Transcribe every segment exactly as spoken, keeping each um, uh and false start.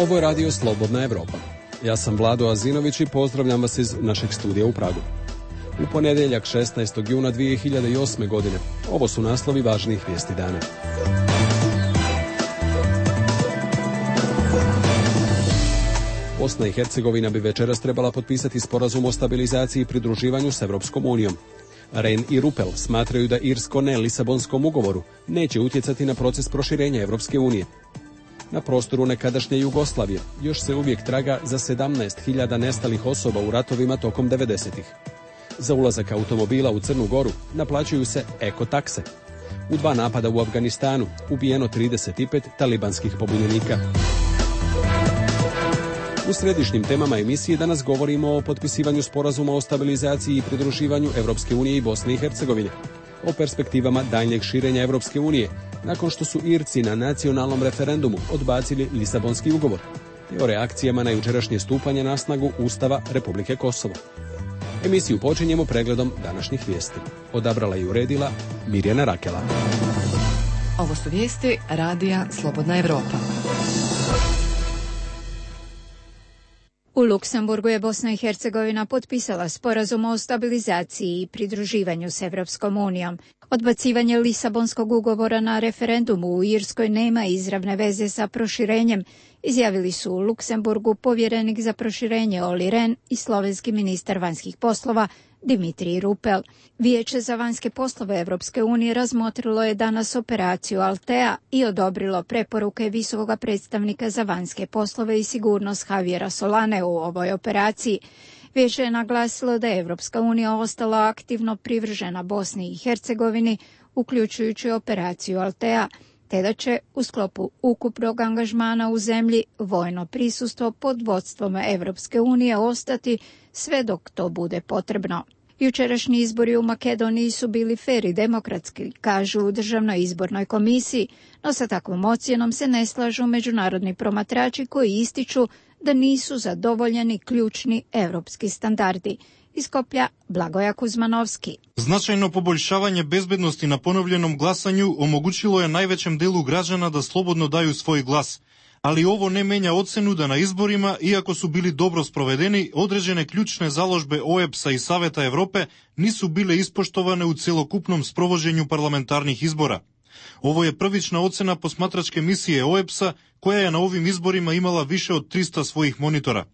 Ovo je radio Slobodna Evropa. Ja sam Vlado Azinović i pozdravljam vas iz našeg studija u Pragu. U ponedjeljak šesnaestog juna dvije hiljade osme. godine. Ovo su naslovi važnijih vijesti dana. Bosna i Hercegovina bi večeras trebala potpisati sporazum o stabilizaciji i pridruživanju s Evropskom unijom. Rehn i Rupel smatraju da Irsko ne Lisabonskom ugovoru neće utjecati na proces proširenja Evropske unije. Na prostoru nekadašnje Jugoslavije još se uvijek traga za sedamnaest hiljada nestalih osoba u ratovima tokom devedesetih. Za ulazak automobila u Crnu Goru naplaćuju se eko-takse. U dva napada u Afganistanu ubijeno trideset pet talibanskih pobunjenika. U središnjim temama emisije danas govorimo o potpisivanju sporazuma o stabilizaciji i pridruživanju Evropske unije i Bosne i Hercegovine, o perspektivama daljnjeg širenja Evropske unije, nakon što su Irci na nacionalnom referendumu odbacili Lisabonski ugovor, te o reakcijama na jučerašnje stupanje na snagu Ustava Republike Kosovo. Emisiju počinjemo pregledom današnjih vijesti. Odabrala i uredila Mirjana Rakela. Ovo su vijesti radija Slobodna Evropa. U Luksemburgu je Bosna i Hercegovina potpisala sporazum o stabilizaciji i pridruživanju s Evropskom unijom. Odbacivanje Lisabonskog ugovora na referendumu u Irskoj nema izravne veze sa proširenjem, izjavili su u Luksemburgu povjerenik za proširenje Olli Rehn i slovenski ministar vanjskih poslova Dimitri Rupel. Vijeće za vanjske poslove Evropske unije razmotrilo je danas operaciju Altea i odobrilo preporuke visokog predstavnika za vanjske poslove i sigurnost Javiera Solane u ovoj operaciji. Vijeće je naglasilo da je Evropska unija ostala aktivno privržena Bosni i Hercegovini, uključujući operaciju Altea, te da će u sklopu ukupnog angažmana u zemlji vojno prisustvo pod vodstvom Evropske unije ostati sve dok to bude potrebno. Jučerašnji izbori u Makedoniji su bili fer i demokratski, kažu u Državnoj izbornoj komisiji, no sa takvom ocjenom se ne slažu međunarodni promatrači koji ističu da nisu zadovoljeni ključni evropski standardi. Iz Skoplja Blagoja Kuzmanovski. Značajno poboljšavanje bezbednosti na ponovljenom glasanju omogućilo je najvećem delu građana da slobodno daju svoj glas. Ali ovo ne menja ocenu da na izborima, iako su bili dobro sprovedeni, određene ključne založbe O E B S-a i Saveta Evrope nisu bile ispoštovane u celokupnom sprovođenju parlamentarnih izbora. Ovo je prvična ocena posmatračke misije O E B S-a, koja je na ovim izborima imala više od trista svojih monitora.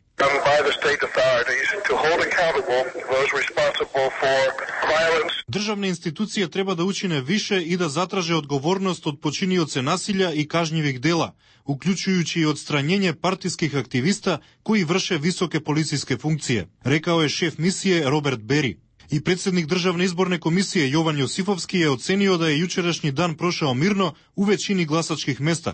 Državne institucije treba da učine više i da zatraže odgovornost od počinioce nasilja i kažnjivih dela, uključujući i odstranjenje partijskih aktivista koji vrše visoke policijske funkcije, rekao je šef misije Robert Berry. I predsjednik Državne izborne komisije Jovan Josifovski je ocenio da je jučerašnji dan prošao mirno u većini glasačkih mesta,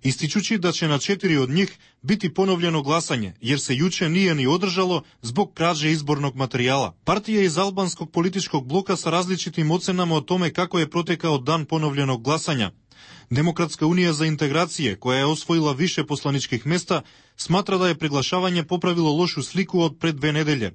ističući da će na četiri od njih biti ponovljeno glasanje, jer se juče nije ni održalo zbog krađe izbornog materijala. Partije iz albanskog političkog bloka sa različitim ocenama o tome kako je protekao dan ponovljenog glasanja. Demokratska unija za integracije, koja je osvojila više poslaničkih mesta, smatra da je preglašavanje popravilo lošu sliku od pred dve nedelje.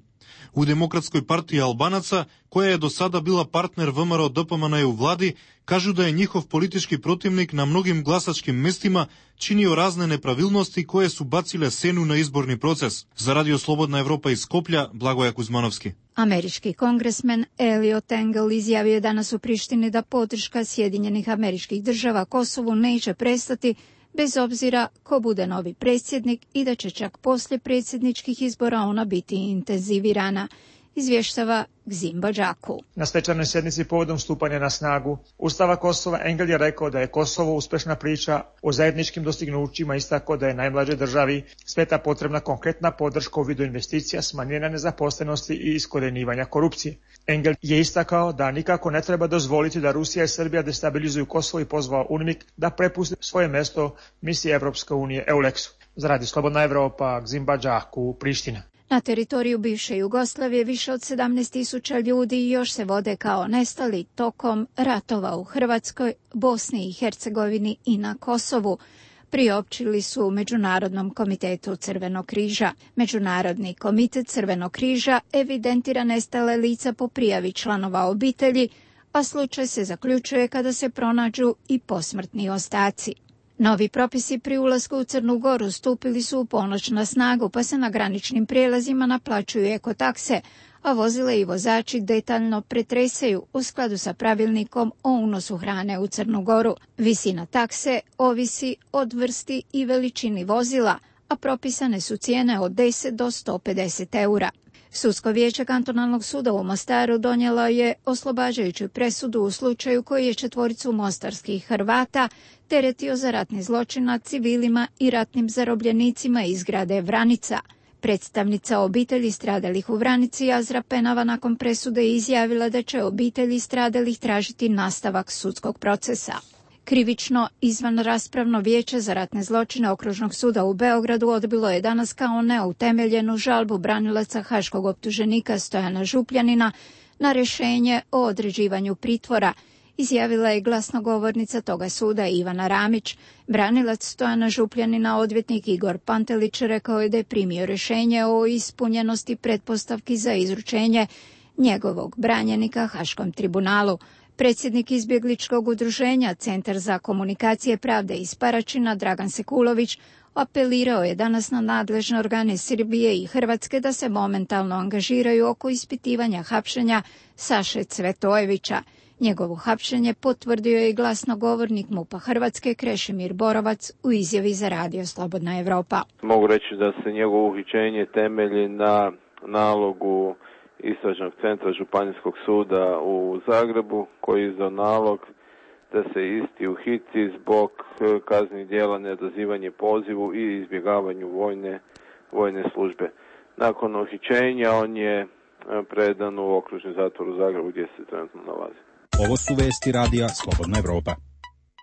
U Demokratskoj partiji Albanaca, koja je do sada bila partner V M R O D P M N u vladi, kažu da je njihov politički protivnik na mnogim glasačkim mestima činio razne nepravilnosti koje su bacile senu na izborni proces. Za Radio Slobodna Evropa iz Skoplja, Blagoja Kuzmanovski. Američki kongresmen Eliot Engel izjavio je danas u Prištini da podrška Sjedinjenih Američkih Država Kosovu neće prestati bez obzira ko bude novi predsjednik i da će čak poslije predsjedničkih izbora ona biti intenzivirana, izvještava Gzim Badžaku. Na svečanoj sjednici povodom stupanja na snagu Ustava Kosova Engel je rekao da je Kosovo uspješna priča o zajedničkim dostignućima, istakao da je najmlađoj državi sveta potrebna konkretna podrška u vidu investicija, smanjenja nezaposlenosti i iskorjenjivanja korupcije. Engel je istakao da nikako ne treba dozvoliti da Rusija i Srbija destabilizuju Kosovo i pozvao UNMIK da prepusti svoje mjesto misiji Evropske unije EULEX-u. Za Radio Slobodna Evropa, Gzim Badžaku, Priština. Na teritoriju bivše Jugoslavije više od sedamnaest tisuća ljudi još se vode kao nestali tokom ratova u Hrvatskoj, Bosni i Hercegovini i na Kosovu, priopćili su Međunarodnom komitetu Crvenog križa. Međunarodni komitet Crvenog križa evidentira nestale lica po prijavi članova obitelji, a slučaj se zaključuje kada se pronađu i posmrtni ostaci. Novi propisi pri ulasku u Crnu Goru stupili su u ponoć na snagu, pa se na graničnim prijelazima naplaćuju ekotakse, a vozile i vozači detaljno pretresaju u skladu sa pravilnikom o unosu hrane u Crnu Goru. Visina takse ovisi od vrsti i veličini vozila, a propisane su cijene od deset do sto pedeset eura. Sudsko vijeće kantonalnog suda u Mostaru donijelo je oslobađajuću presudu u slučaju koji je četvoricu mostarskih Hrvata teretio za ratni zločin nad civilima i ratnim zarobljenicima iz grada Vranica. Predstavnica obitelji stradalih u Vranici, Azra Penava, nakon presude izjavila da će obitelji stradalih tražiti nastavak sudskog procesa. Krivično izvanraspravno vijeće za ratne zločine Okružnog suda u Beogradu odbilo je danas kao neutemeljenu žalbu branilaca haškog optuženika Stojana Župljanina na rješenje o određivanju pritvora, izjavila je glasnogovornica toga suda Ivana Ramić. Branilac Stojana Župljanina, odvjetnik Igor Pantelić, rekao je da je primio rješenje o ispunjenosti pretpostavki za izručenje njegovog branjenika Haškom tribunalu. Predsjednik izbjegličkog udruženja Centar za komunikacije pravde iz Paraćina, Dragan Sekulović, apelirao je danas na nadležne organe Srbije i Hrvatske da se momentalno angažiraju oko ispitivanja hapšenja Saše Cvetojevića. Njegovo hapšenje potvrdio je i glasnogovornik MUP-a Hrvatske Krešimir Borovac u izjavi za radio Slobodna Evropa. Mogu reći da se njegovo uhićenje temelji na nalogu Istražnog centra Županijskog suda u Zagrebu, koji je izdao nalog da se isti uhiti zbog kaznenih djela neodazivanje pozivu i izbjegavanju vojne, vojne službe. Nakon uhićenja on je predan u okružni zatvor u Zagrebu gdje se trenutno nalazi. Ovo su vesti radija Slobodna Evropa.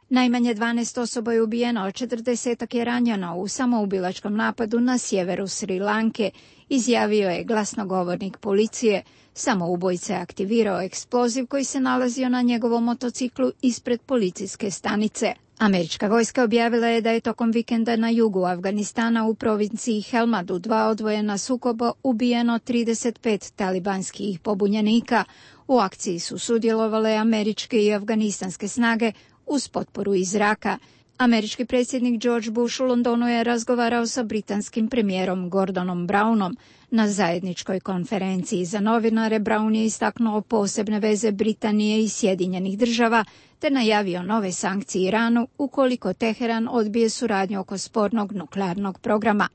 Najmanje dvanaest osoba je ubijeno, a četrdesetak je ranjeno u samoubilačkom napadu na sjeveru Sri Lanke, izjavio je glasnogovornik policije. Samoubojica je aktivirao eksploziv koji se nalazio na njegovom motociklu ispred policijske stanice. Američka vojska objavila je da je tokom vikenda na jugu Afganistana u provinciji Helmand u dva odvojena sukoba ubijeno trideset pet talibanskih pobunjenika. U akciji su sudjelovale američke i afganistanske snage uz potporu iz zraka. Američki predsjednik George Bush u Londonu je razgovarao sa britanskim premijerom Gordonom Brownom. Na zajedničkoj konferenciji za novinare Brown je istaknuo posebne veze Britanije i Sjedinjenih država te najavio nove sankcije Iranu ukoliko Teheran odbije suradnju oko spornog nuklearnog programa.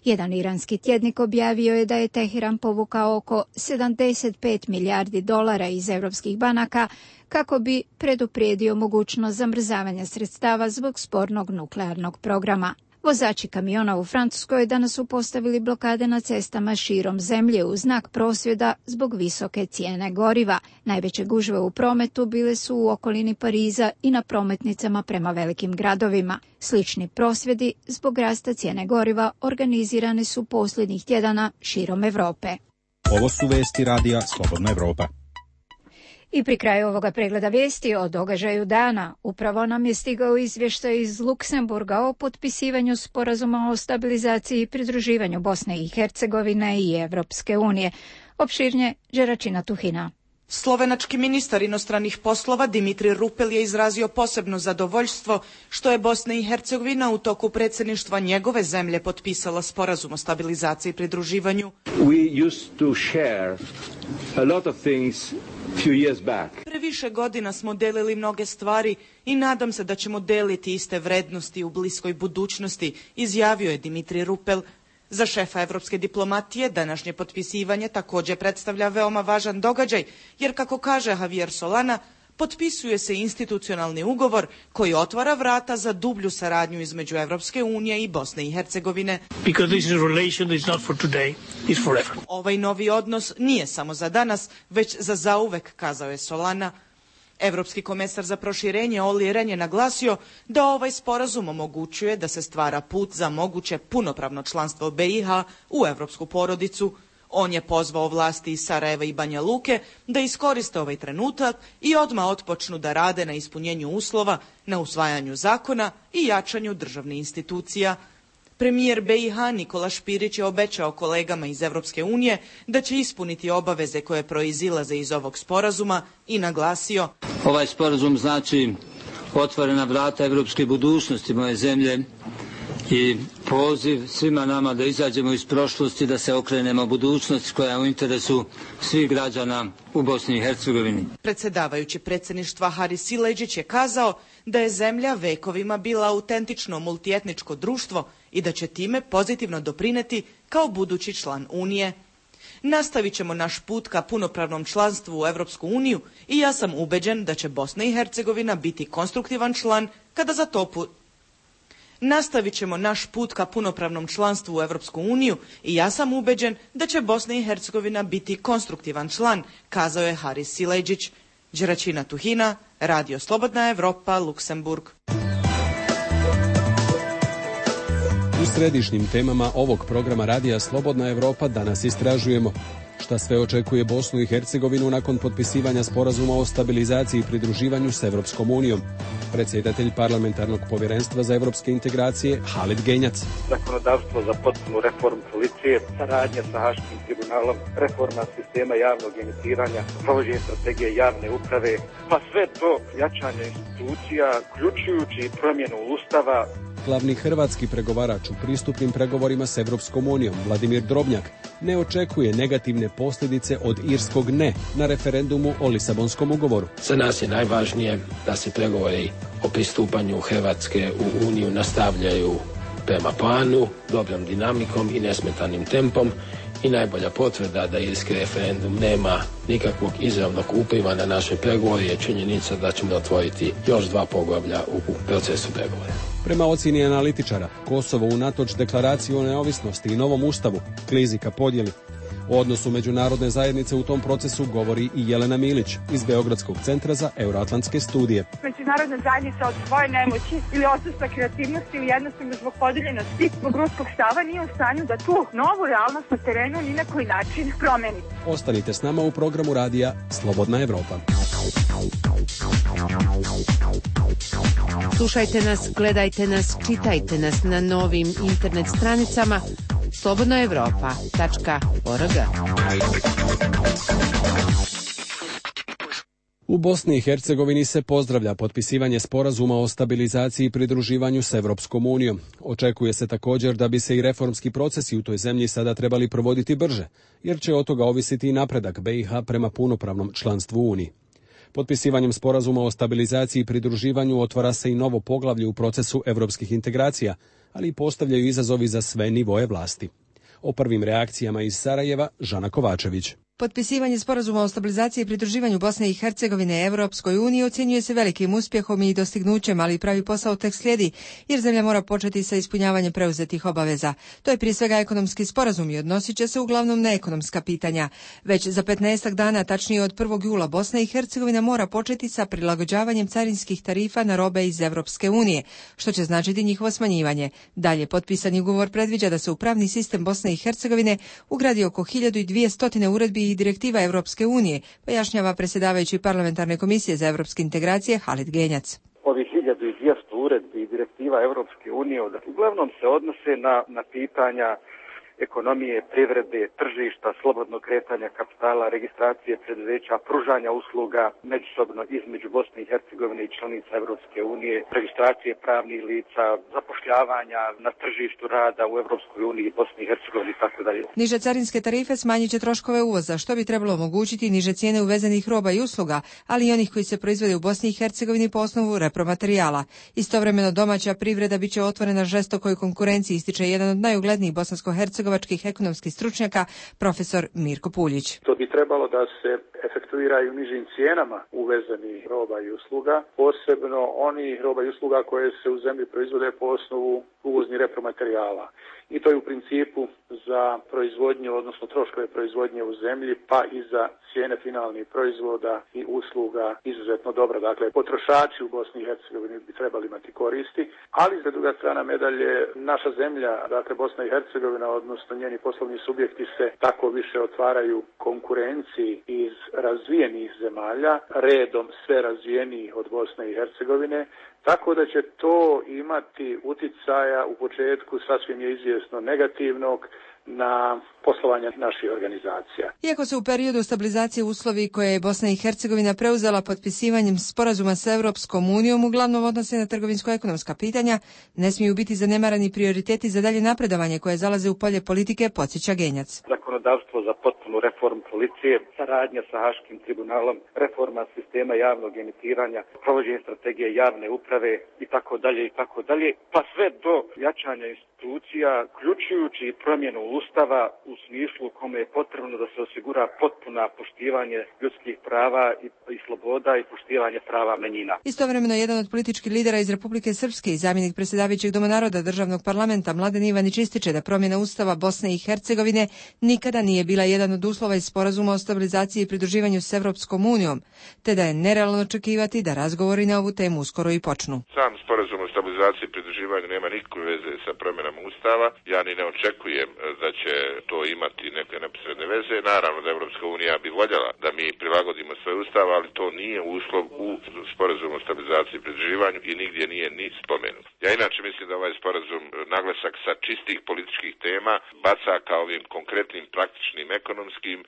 Jedan iranski tjednik objavio je da je Teheran povukao oko sedamdeset pet milijardi dolara iz europskih banaka kako bi preduprijedio mogućnost zamrzavanja sredstava zbog spornog nuklearnog programa. Vozači kamiona u Francuskoj danas su postavili blokade na cestama širom zemlje u znak prosvjeda zbog visoke cijene goriva. Najveće gužve u prometu bile su u okolini Pariza i na prometnicama prema velikim gradovima. Slični prosvjedi zbog rasta cijene goriva organizirane su posljednjih tjedana širom Europe. Ovo su vesti radija Slobodna Evropa. I pri kraju ovoga pregleda vijesti o događaju dana upravo nam je stigao izvještaj iz Luksemburga o potpisivanju sporazuma o stabilizaciji i pridruživanju Bosne i Hercegovine i Evropske unije. Opširnje Đeračina Tuhina. Slovenački ministar inostranih poslova Dimitri Rupel je izrazio posebno zadovoljstvo što je Bosna i Hercegovina u toku predsjedništva njegove zemlje potpisala sporazum o stabilizaciji i pridruživanju. We used to share a lot of things few years back. Pre više godina smo delili mnoge stvari i nadam se da ćemo deliti iste vrednosti u bliskoj budućnosti, izjavio je Dimitri Rupel. Za šefa evropske diplomatije današnje potpisivanje također predstavlja veoma važan događaj, jer kako kaže Javier Solana, potpisuje se institucionalni ugovor koji otvara vrata za dublju saradnju između Evropske unije i Bosne i Hercegovine. Because this relation is not for today, it's forever. Ovaj novi odnos nije samo za danas, već za zauvek, kazao je Solana. Evropski komesar za proširenje Olli Rehn je naglasio da ovaj sporazum omogućuje da se stvara put za moguće punopravno članstvo B i H u evropsku porodicu. On je pozvao vlasti iz Sarajeva i Banja Luke da iskoriste ovaj trenutak i odmah otpočnu da rade na ispunjenju uslova, na usvajanju zakona i jačanju državnih institucija. Premijer B i H Nikola Špirić je obećao kolegama iz Evropske unije da će ispuniti obaveze koje proizilaze iz ovog sporazuma i naglasio: Ovaj sporazum znači otvorena vrata evropske budućnosti moje zemlje i poziv svima nama da izađemo iz prošlosti, da se okrenemo budućnosti koja je u interesu svih građana u Bosni i Hercegovini. Predsjedavajući predsjedništva Haris Sileđić je kazao da je zemlja vekovima bila autentično multietničko društvo i da će time pozitivno doprineti kao budući član Unije. Nastavit ćemo naš put ka punopravnom članstvu u Europsku uniju i ja sam ubeđen da će Bosna i Hercegovina biti konstruktivan član kada za to pu... Nastavit ćemo naš put ka punopravnom članstvu u Europsku uniju i ja sam ubeđen da će Bosna i Hercegovina biti konstruktivan član, kazao je Haris Sileđić. Đeračina Tuhina, Radio Slobodna Evropa, Luksemburg. U središnjim temama ovog programa Radija Slobodna Evropa danas istražujemo šta sve očekuje Bosnu i Hercegovinu nakon potpisivanja sporazuma o stabilizaciji i pridruživanju s Evropskom unijom. Predsjedatelj parlamentarnog povjerenstva za evropske integracije Halid Genjac. Zakonodavstvo za potpunu reformu policije, saradnja sa Haškim tribunalom, reforma sistema javnog emitiranja, provođenje strategije javne uprave, pa sve to jačanje institucija, uključujući promjenu ustava. Glavni hrvatski pregovarač u pristupnim pregovorima s Evropskom unijom, Vladimir Drobnjak, ne očekuje negativne posljedice od irskog ne na referendumu o Lisabonskom ugovoru. Za nas je najvažnije da se pregovori o pristupanju Hrvatske u Uniju nastavljaju prema planu, dobrom dinamikom i nesmetanim tempom i najbolja potvrda da irski referendum nema nikakvog izravnog upliva na naše pregovore je činjenica da ćemo otvoriti još dva poglavlja u procesu pregovora. Prema ocjeni analitičara, Kosovo unatoč deklaraciji o neovisnosti i novom ustavu klizi ka podjeli. O odnosu međunarodne zajednice u tom procesu govori i Jelena Milić iz Beogradskog centra za euroatlantske studije. Međunarodna zajednica od svoje nemoći ili odsustva kreativnosti ili jednostavno zbog podeljenosti zbog ruskog stava nije u stanju da tu novu realnost na terenu ni na koji način promeni. Ostanite s nama u programu radija Slobodna Evropa. Slušajte nas, gledajte nas, čitajte nas na novim internet stranicama slobodna evropa tačka org. U Bosni i Hercegovini se pozdravlja potpisivanje sporazuma o stabilizaciji i pridruživanju s Evropskom unijom. Očekuje se također da bi se i reformski procesi u toj zemlji sada trebali provoditi brže, jer će od toga ovisiti i napredak B i H prema punopravnom članstvu u Uniji. Potpisivanjem sporazuma o stabilizaciji i pridruživanju otvara se i novo poglavlje u procesu evropskih integracija, ali i postavljaju izazovi za sve nivoje vlasti. O prvim reakcijama iz Sarajeva, Žana Kovačević. Potpisivanje sporazuma o stabilizaciji i pridruživanju Bosne i Hercegovine Evropskoj uniji ocjenjuje se velikim uspjehom i dostignućem, ali pravi posao tek slijedi, jer zemlja mora početi sa ispunjavanjem preuzetih obaveza. To je prije svega ekonomski sporazum i odnosit će se uglavnom na ekonomska pitanja. Već za petnaestak dana, tačnije od prvog jula, Bosna i Hercegovina mora početi sa prilagođavanjem carinskih tarifa na robe iz Evropske unije, što će značiti njihovo smanjivanje. Dalje, potpisani ugovor predviđa da se u pravni sistem Bosne i Hercegovine ugradi oko hiljadu dvjesto uredbi i direktiva Evropske unije, pojašnjava predsjedavajući parlamentarne komisije za evropske integracije Halid Genjac. Ovih hiljadu dvjesto uredbi i direktiva Evropske unije uglavnom se odnose na, na pitanja ekonomije, privrede, tržišta, slobodnog kretanja kapitala, registracije preduzeća, pružanja usluga međusobno između Bosne i Hercegovine i članica Evropske unije, registracije pravnih lica, zapošljavanja na tržištu rada u Evropskoj uniji, Bosni i Hercegovini i tako dalje. Niže carinske tarife smanjit će troškove uvoza, što bi trebalo omogućiti niže cijene uvezenih roba i usluga, ali i onih koji se proizvode u Bosni i Hercegovini po osnovu repromaterijala. Istovremeno domaća privreda biće otvorena žestokoj konkurenciji, ističe jedan od najuglednijih bosansko-hercegovačkih ekonomskih stručnjaka, profesor Mirko Puljić. To bi trebalo da se efektuiraju nižim cijenama uvezenih roba i usluga, posebno oni roba i usluga koje se u zemlji proizvode po osnovu uvoznih repromaterijala. I to je u principu za proizvodnju, odnosno troškove proizvodnje u zemlji, pa i za cijene finalnih proizvoda i usluga izuzetno dobro. Dakle, potrošači u Bosni i Hercegovini bi trebali imati koristi, ali za druga strana medalje, naša zemlja, dakle Bosna i Hercegovina, odnosno njeni poslovni subjekti se tako više otvaraju konkurenciji iz razvijenih zemalja, redom sve razvijenijih od Bosne i Hercegovine, tako da će to imati uticaja u početku, sasvim je izvjesno, negativnog na poslovanje naših organizacija. Iako se u periodu stabilizacije uslovi koje je Bosna i Hercegovina preuzela potpisivanjem sporazuma s Evropskom unijom uglavnom odnose na trgovinsko-ekonomska pitanja, ne smiju biti zanemarani prioriteti za dalje napredovanje koje zalaze u polje politike, podsjeća Genjac. Zakonodavstvo za potpunu reformu policije, saradnja sa Haškim tribunalom, reforma sistema javnog emitiranja, provođenje strategije javne uprave i tako dalje i tako dalje, pa sve do jačanja institucija, uključujući promjenu Ustava u smislu u kome je potrebno da se osigura potpuna poštivanje ljudskih prava i, i sloboda i poštivanje prava manjina. Istovremeno, jedan od političkih lidera iz Republike Srpske i zamjenik predsjedavajućeg Doma naroda državnog parlamenta Mladen Ivanić ističe da promjena Ustava Bosne i Hercegovine nikada nije bila jedan od uslova iz sporazuma o stabilizaciji i pridruživanju s Evropskom unijom, te da je nerealno očekivati da razgovori na ovu temu uskoro i počnu. Sam sporazum o stabilizaciji i pridruživanju nema nikakve veze sa promjenama Ustava. Ja ni ne očekujem da će to imati neke neposredne veze. Naravno da Evropska unija bi voljela da mi prilagodimo svoj ustav, ali to nije uslov u sporazumu o stabilizaciji i pridruživanju i nigdje nije ni spomenut. Ja inače mislim da ovaj sporazum naglasak sa čistih političkih tema baca kao ovim konkretnim, praktičnim, ekonomskim,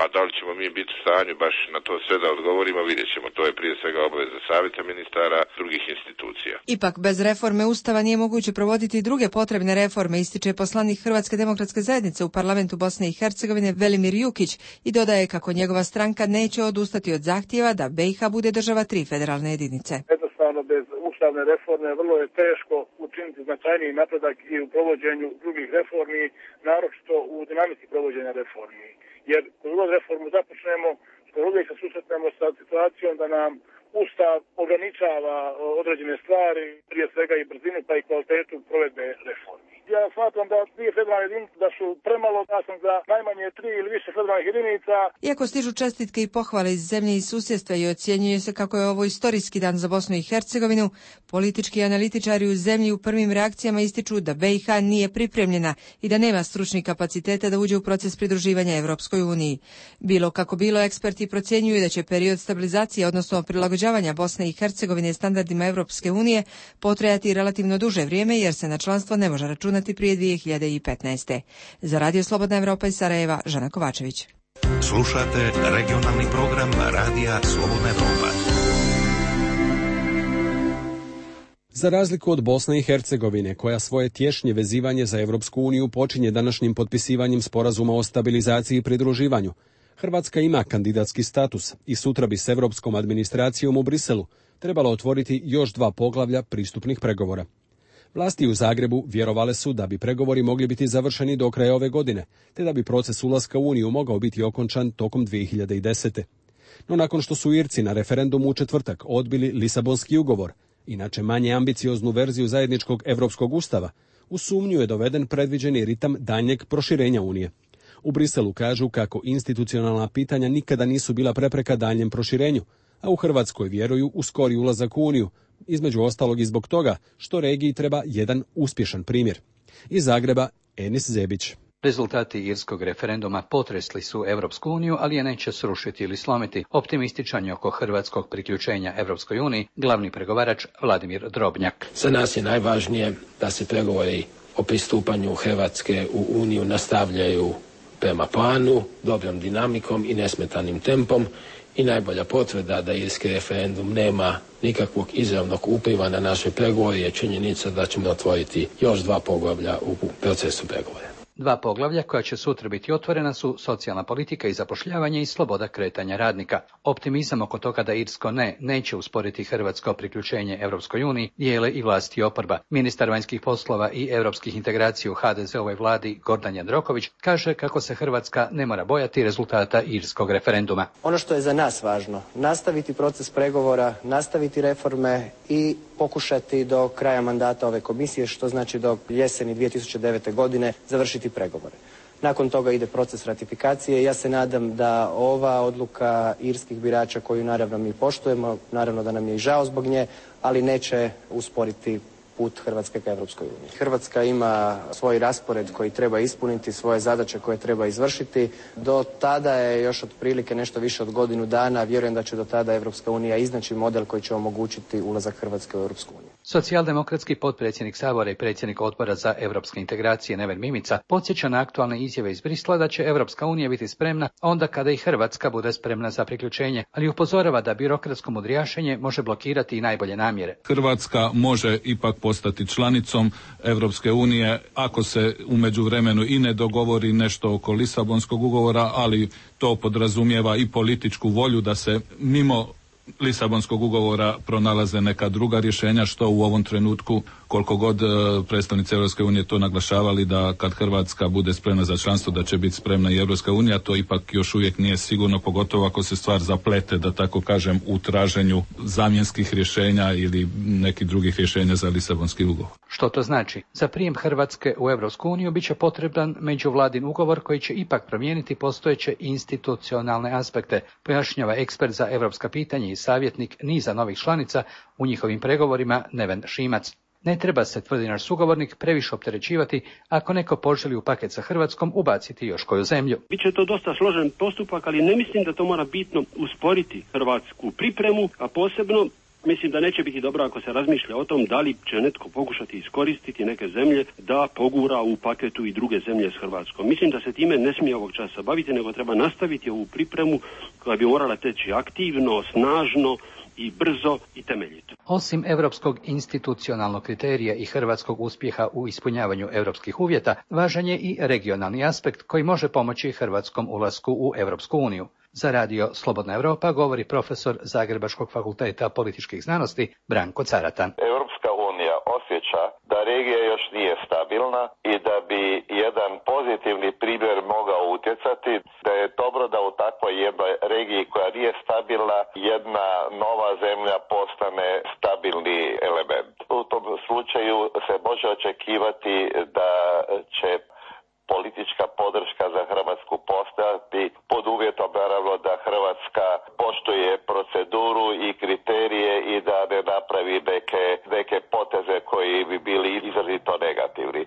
a da li ćemo mi biti u stanju baš na to sve da odgovorimo, vidjet ćemo. To je prije svega obaveza savjeta ministara, drugih institucija. Ipak, bez reforme Ustava nije moguće provoditi druge potrebne reforme, ističe poslanik Hrvatske demokratske zajednice u parlamentu Bosne i Hercegovine Velimir Jukić i dodaje kako njegova stranka neće odustati od zahtjeva da B i H bude država tri federalne jedinice. Jednostavno, bez ustavne reforme vrlo je teško učiniti značajniji napredak i u provođenju drugih reformi, naročito u dinamici provođenja reformi. Jer koju god reformu započnemo, uvijek se susretnemo sa situacijom da nam Ustav ograničava određene stvari, prije svega i brzinu pa i kvalitetu provedbe reformi. Ja smatram da dvije federalne jedinice da su premalo, da sam za najmanje tri ili više federalnih jedinica. Iako stižu čestitke i pohvale iz zemlje i susjedstva i ocjenjuje se kako je ovo istorijski dan za Bosnu i Hercegovinu, politički analitičari u zemlji u prvim reakcijama ističu da B i H nije pripremljena i da nema stručnih kapaciteta da uđe u proces pridruživanja Evropskoj uniji. Bilo kako bilo, eksperti procjenjuju da će period stabilizacije, odnosno prilagođavanja Bosne i Hercegovine standardima Evropske unije potrajati relativno duže vrijeme jer se na članstvo ne može računati prije dvije hiljade petnaeste. Za Radio Slobodna Evropa iz Sarajeva, Žana Kovačević. Slušate regionalni program Radija Slobodna Evropa. Za razliku od Bosne i Hercegovine, koja svoje tješnje vezivanje za Evropsku uniju počinje današnjim potpisivanjem sporazuma o stabilizaciji i pridruživanju, Hrvatska ima kandidatski status i sutra bi s evropskom administracijom u Briselu trebalo otvoriti još dva poglavlja pristupnih pregovora. Vlasti u Zagrebu vjerovale su da bi pregovori mogli biti završeni do kraja ove godine, te da bi proces ulaska u Uniju mogao biti okončan tokom dvije hiljade desete. No nakon što su Irci na referendumu u četvrtak odbili Lisabonski ugovor, inače manje ambicioznu verziju zajedničkog Europskog ustava, u sumnju je doveden predviđeni ritam daljnjeg proširenja Unije. U Briselu kažu kako institucionalna pitanja nikada nisu bila prepreka daljnjem proširenju, a u Hrvatskoj vjeruju u skori ulazak u Uniju, između ostalog i zbog toga što regiji treba jedan uspješan primjer. Iz Zagreba, Enis Zebić. Rezultati irskog referenduma potresli su Evropsku uniju, ali je neće srušiti ili slomiti. Optimističan je oko hrvatskog priključenja Evropskoj uniji glavni pregovarač Vladimir Drobnjak. Za nas je najvažnije da se pregovori o pristupanju Hrvatske u Uniju nastavljaju prema planu, dobrom dinamikom i nesmetanim tempom. I najbolja potvrda da irski referendum nema nikakvog izravnog upliva na naše pregovore je činjenica da ćemo otvoriti još dva poglavlja u procesu pregovora. Dva poglavlja koja će sutra biti otvorena su socijalna politika i zapošljavanje i sloboda kretanja radnika. Optimizam oko toga da irsko ne neće usporiti hrvatsko priključenje Europskoj uniji dijele i vlasti i oporba. Ministar vanjskih poslova i europskih integracija u ha de ze ovoj vladi Gordan Jandroković kaže kako se Hrvatska ne mora bojati rezultata irskog referenduma. Ono što je za nas važno, nastaviti proces pregovora, nastaviti reforme i pokušati do kraja mandata ove komisije, što znači do jeseni dvije tisuće devete. godine, završiti pregovore. Nakon toga ide proces ratifikacije i ja se nadam da ova odluka irskih birača, koju naravno mi poštujemo, naravno da nam je i žao zbog nje, ali neće usporiti put Hrvatske ka Europskoj uniji. Hrvatska ima svoj raspored koji treba ispuniti, svoje zadaće koje treba izvršiti. Do tada je još otprilike nešto više od godinu dana. Vjerujem da će do tada Europska unija iznaći model koji će omogućiti ulazak Hrvatske u Europsku uniju. Socijaldemokratski potpredsjednik Sabora i predsjednik Odbora za europske integracije Neven Mimica podsjeća na aktualne izjave iz Brisla da će Europska unija biti spremna onda kada i Hrvatska bude spremna za priključenje, ali upozorava da birokratsko mudrijašenje može blokirati i najbolje namjere. Hrvatska može ipak postati članicom Europske unije ako se u međuvremenu i ne dogovori nešto oko Lisabonskog ugovora, ali to podrazumijeva i političku volju da se mimo Lisabonskog ugovora pronalaze neka druga rješenja, što u ovom trenutku, koliko god predstavnici Europske unije to naglašavali da kad Hrvatska bude spremna za članstvo da će biti spremna i Europska unija, to ipak još uvijek nije sigurno, pogotovo ako se stvar zaplete, da tako kažem, u traženju zamjenskih rješenja ili nekih drugih rješenja za Lisabonski ugovor. Što to znači? Za prijem Hrvatske u Europsku uniju bit će potreban međuvladin ugovor koji će ipak promijeniti postojeće institucionalne aspekte, pojašnjava ekspert za europska pitanja i savjetnik niza novih članica u njihovim pregovorima Neven Šimac. Ne treba se, tvrdi naš sugovornik, previše opterećivati ako neko poželi u paket sa Hrvatskom ubaciti još koju zemlju. Biće to dosta složen postupak, ali ne mislim da to mora bitno usporiti hrvatsku pripremu, a posebno mislim da neće biti dobro ako se razmišlja o tom da li će netko pokušati iskoristiti neke zemlje da pogura u paketu i druge zemlje s Hrvatskom. Mislim da se time ne smije ovog časa baviti, nego treba nastaviti ovu pripremu koja bi morala teći aktivno, snažno i brzo i temeljito. Osim europskog institucionalnog kriterija i hrvatskog uspjeha u ispunjavanju europskih uvjeta, važan je i regionalni aspekt koji može pomoći hrvatskom ulasku u Europsku uniju. Za radio Slobodna Europa govori profesor Zagrebačkog fakulteta političkih znanosti Branko Caratan. Europska unija osjeća da regija još nije stabilna i da bi jedan pozitivni primjer mogao utjecati, da je dobro da u takvoj jednoj regiji koja nije stabilna jedna nova zemlja postane stabilni element. U tom slučaju se može očekivati da će politička podrška za Hrvatsku postojati pod uvjetom naravno da Hrvatska poštuje proceduru i kriterije i da ne napravi neke, neke poteze koji bi bili izrazito negativni.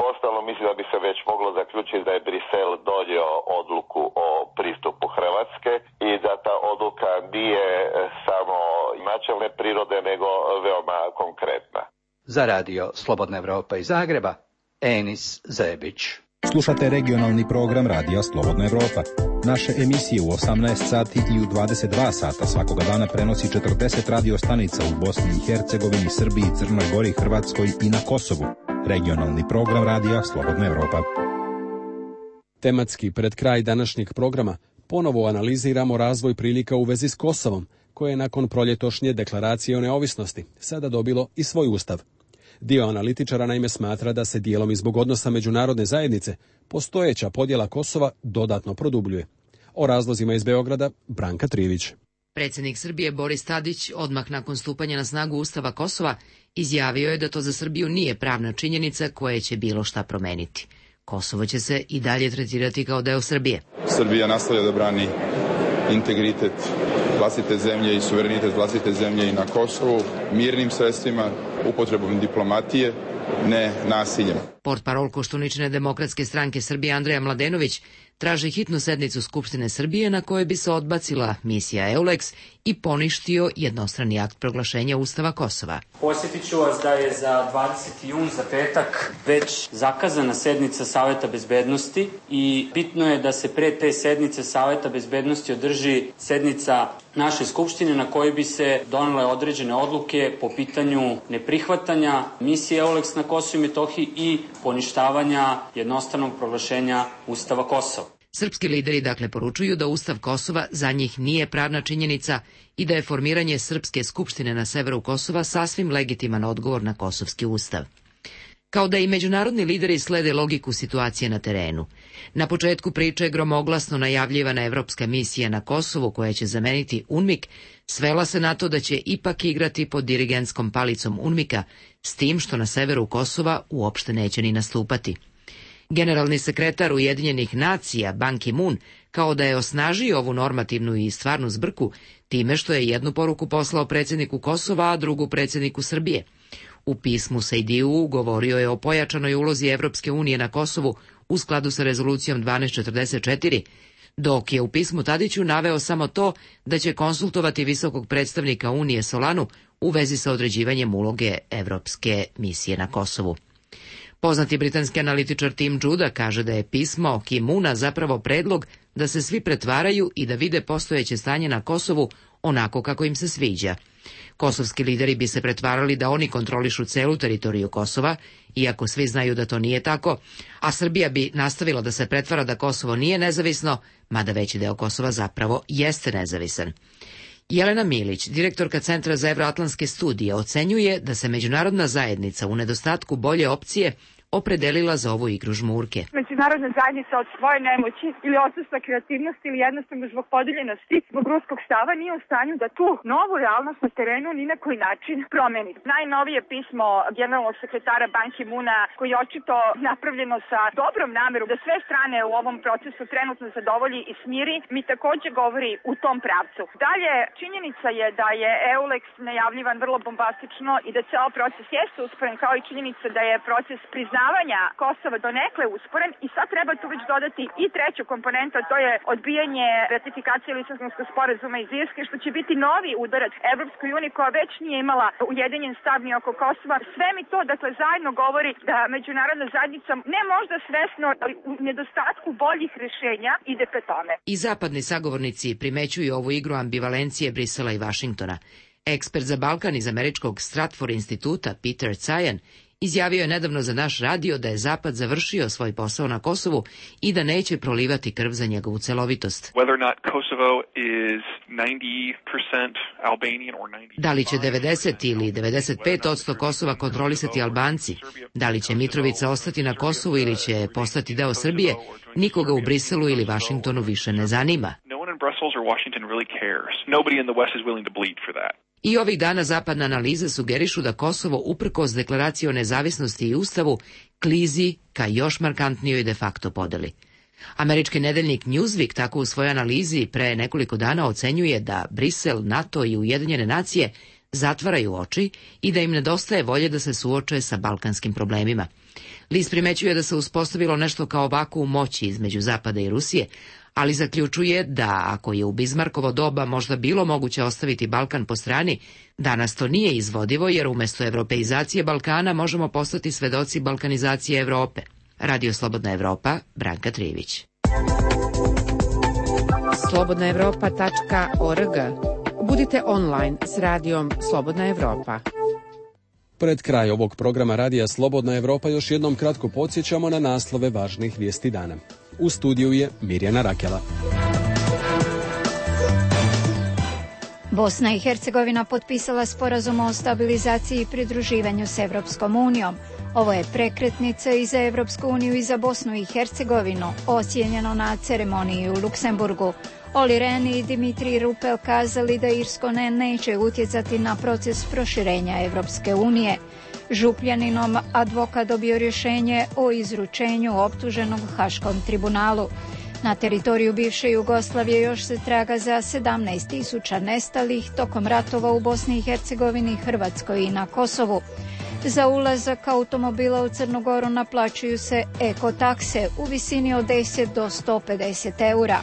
Uostalom mislim da bi se već moglo zaključiti da je Brisel donio odluku o pristupu Hrvatske i da ta odluka nije samo načelne prirode nego veoma konkretna. Za radio Slobodna Europa iz Zagreba, Enis Zebić. Slušate regionalni program Radija Slobodna Europa. Naše emisije u osamnaest sati i u dvadeset dva sata svakoga dana prenosi četrdeset radio stanica u Bosni i Hercegovini, Srbiji, Crnoj Gori, Hrvatskoj i na Kosovu. Regionalni program Radija Slobodna Europa. Tematski pred kraj današnjeg programa ponovo analiziramo razvoj prilika u vezi s Kosovom, koje je nakon proljetošnje deklaracije o neovisnosti sada dobilo i svoj ustav. Dio analitičara naime smatra da se dijelom i zbog odnosa međunarodne zajednice postojeća podjela Kosova dodatno produbljuje. O razlozima iz Beograda Branka Trivić. Predsjednik Srbije Boris Tadić odmah nakon stupanja na snagu Ustava Kosova izjavio je da to za Srbiju nije pravna činjenica koja će bilo šta promeniti. Kosovo će se i dalje tretirati kao deo Srbije. Srbija nastavlja da brani integritet vlastite zemlje i suverenitet vlastite zemlje i na Kosovu mirnim sredstvima, upotrebom diplomatije, ne nasiljem. Portparol Koštuničine demokratske stranke Srbije Andreja Mladenović traži hitnu sednicu Skupštine Srbije na kojoj bi se odbacila misija EULEX i poništio jednostrani akt proglašenja Ustava Kosova. Posjetit ću vas da je za dvadeseti jun, za petak, već zakazana sednica Saveta bezbednosti i bitno je da se pre te sednice Saveta bezbednosti održi sednica naše Skupštine na kojoj bi se donele određene odluke po pitanju neprihvatanja misije EULEX na Kosovu i Metohiji i poništavanja jednostranog proglašenja Ustava Kosova. Srpski lideri dakle poručuju da Ustav Kosova za njih nije pravna činjenica i da je formiranje Srpske skupštine na severu Kosova sasvim legitiman odgovor na kosovski ustav. Kao da i međunarodni lideri slede logiku situacije na terenu. Na početku priče je gromoglasno najavljivana evropska misija na Kosovu koja će zameniti UNMIK, svela se na to da će ipak igrati pod dirigentskom palicom UNMIK-a, s tim što na severu Kosova uopšte neće ni nastupati. Generalni sekretar Ujedinjenih nacija Ban Ki-moon kao da je osnažio ovu normativnu i stvarnu zbrku time što je jednu poruku poslao predsjedniku Kosova, a drugu predsjedniku Srbije. U pismu Sejdiju govorio je o pojačanoj ulozi Evropske unije na Kosovu u skladu sa rezolucijom dvanaest četrdeset četiri, dok je u pismu Tadiću naveo samo to da će konsultovati visokog predstavnika Unije Solanu u vezi sa određivanjem uloge evropske misije na Kosovu. Poznati britanski analitičar Tim Juda kaže da je pismo Kimuna zapravo predlog da se svi pretvaraju i da vide postojeće stanje na Kosovu onako kako im se sviđa. Kosovski lideri bi se pretvarali da oni kontrolišu celu teritoriju Kosova, iako svi znaju da to nije tako, a Srbija bi nastavila da se pretvara da Kosovo nije nezavisno, mada veći deo Kosova zapravo jeste nezavisan. Jelena Milić, direktorka Centra za evroatlantske studije, ocenjuje da se međunarodna zajednica u nedostatku bolje opcije opredelila za ovu igru žmurke. Međunarodna zajednica od svoje nemoći ili odsustva kreativnosti ili jednostavno zbog podeljenosti, zbog ruskog stava nije u stanju da tu novu realnost na terenu ni na koji način promeni. Najnovije pismo generalnog sekretara Ban Ki-moona, koji je očito napravljeno sa dobrom namerom da sve strane u ovom procesu trenutno zadovolji i smiri, mi takođe govori u tom pravcu. Dalje, činjenica je da je EULEX najavljivan vrlo bombastično i da ceo proces jeste usporen, kao i činjenica da je proces priznavanja Kosova donekle usporen i sad treba tu već dodati i treću komponentu, a to je odbijanje ratifikacije Lisabonskog sporazuma iz Irske, što će biti novi udarac Evropskoj uniji koja već nije imala ujedinjen stav ni oko Kosova. Sve mi to, dakle, zajedno govori da međunarodna zajednica ne možda svesno, ali u nedostatku boljih rešenja ide pre tome. I zapadni sagovornici primećuju ovu igru ambivalencije Brisela i Vašingtona. Ekspert za Balkan iz američkog Stratford instituta Peter Cajan izjavio je nedavno za naš radio da je Zapad završio svoj posao na Kosovu i da neće prolivati krv za njegovu celovitost. Da li će devedeset ili devedeset pet posto Kosova kontrolisati Albanci? Da li će Mitrovica ostati na Kosovu ili će postati deo Srbije? Nikoga u Briselu ili Vašingtonu više ne zanima. I ovih dana zapadne analize sugerišu da Kosovo, uprkos deklaraciji o nezavisnosti i ustavu, klizi ka još markantnijoj de facto podeli. Američki nedeljnik Newsweek tako u svojoj analizi pre nekoliko dana ocenjuje da Brisel, NATO i Ujedinjene nacije zatvaraju oči i da im nedostaje volje da se suoče sa balkanskim problemima. List primećuje da se uspostavilo nešto kao vakuum moći između Zapada i Rusije, ali zaključuje da ako je u Bizmarkovo doba možda bilo moguće ostaviti Balkan po strani, danas to nije izvodivo jer umjesto evropeizacije Balkana možemo postati svedoci balkanizacije Evrope. Radio Slobodna Evropa, Branka Trivić. slobodna evropa tačka org. Budite online s radijom Slobodna Evropa. Pred kraj ovog programa Radija Slobodna Evropa još jednom kratko podsjećamo na naslove važnih vijesti dana. U studiju je Mirjana Rakela. Bosna i Hercegovina potpisala sporazum o stabilizaciji i pridruživanju s Evropskom unijom. Ovo je prekretnica i za Evropsku uniju i za Bosnu i Hercegovinu, ocijenjeno na ceremoniji u Luksemburgu. Olli Rehn i Dimitri Rupel kazali da Irsko ne neće utjecati na proces proširenja Evropske unije. Župljaninom advokat dobio rješenje o izručenju optuženog Haškom tribunalu. Na teritoriju bivše Jugoslavije još se traga za sedamnaest tisuća nestalih tokom ratova u Bosni i Hercegovini, Hrvatskoj i na Kosovu. Za ulazak automobila u Crnu Goru naplaćuju se ekotakse u visini od deset do sto pedeset eura.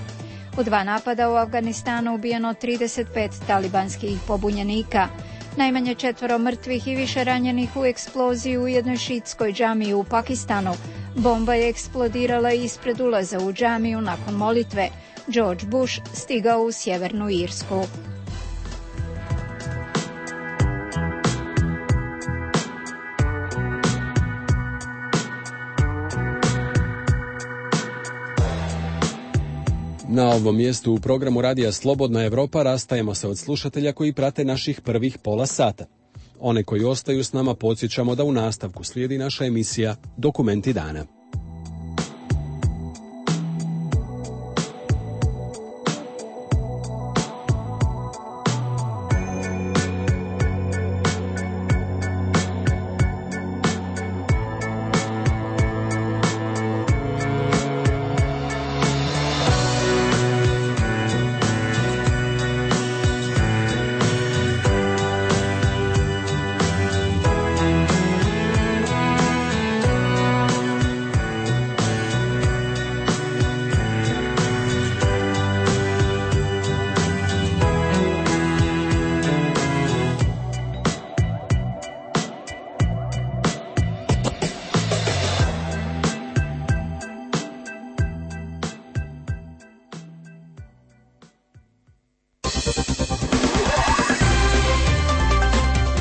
U dva napada u Afganistanu ubijeno trideset pet talibanskih pobunjenika. Najmanje četvoro mrtvih i više ranjenih u eksploziji u jednoj šiitskoj džamiji u Pakistanu. Bomba je eksplodirala ispred ulaza u džamiju nakon molitve. George Bush stigao u Sjevernu Irsku. Na ovom mjestu u programu Radija Slobodna Evropa rastajemo se od slušatelja koji prate naših prvih pola sata. One koji ostaju s nama podsjećamo da u nastavku slijedi naša emisija Dokumenti dana.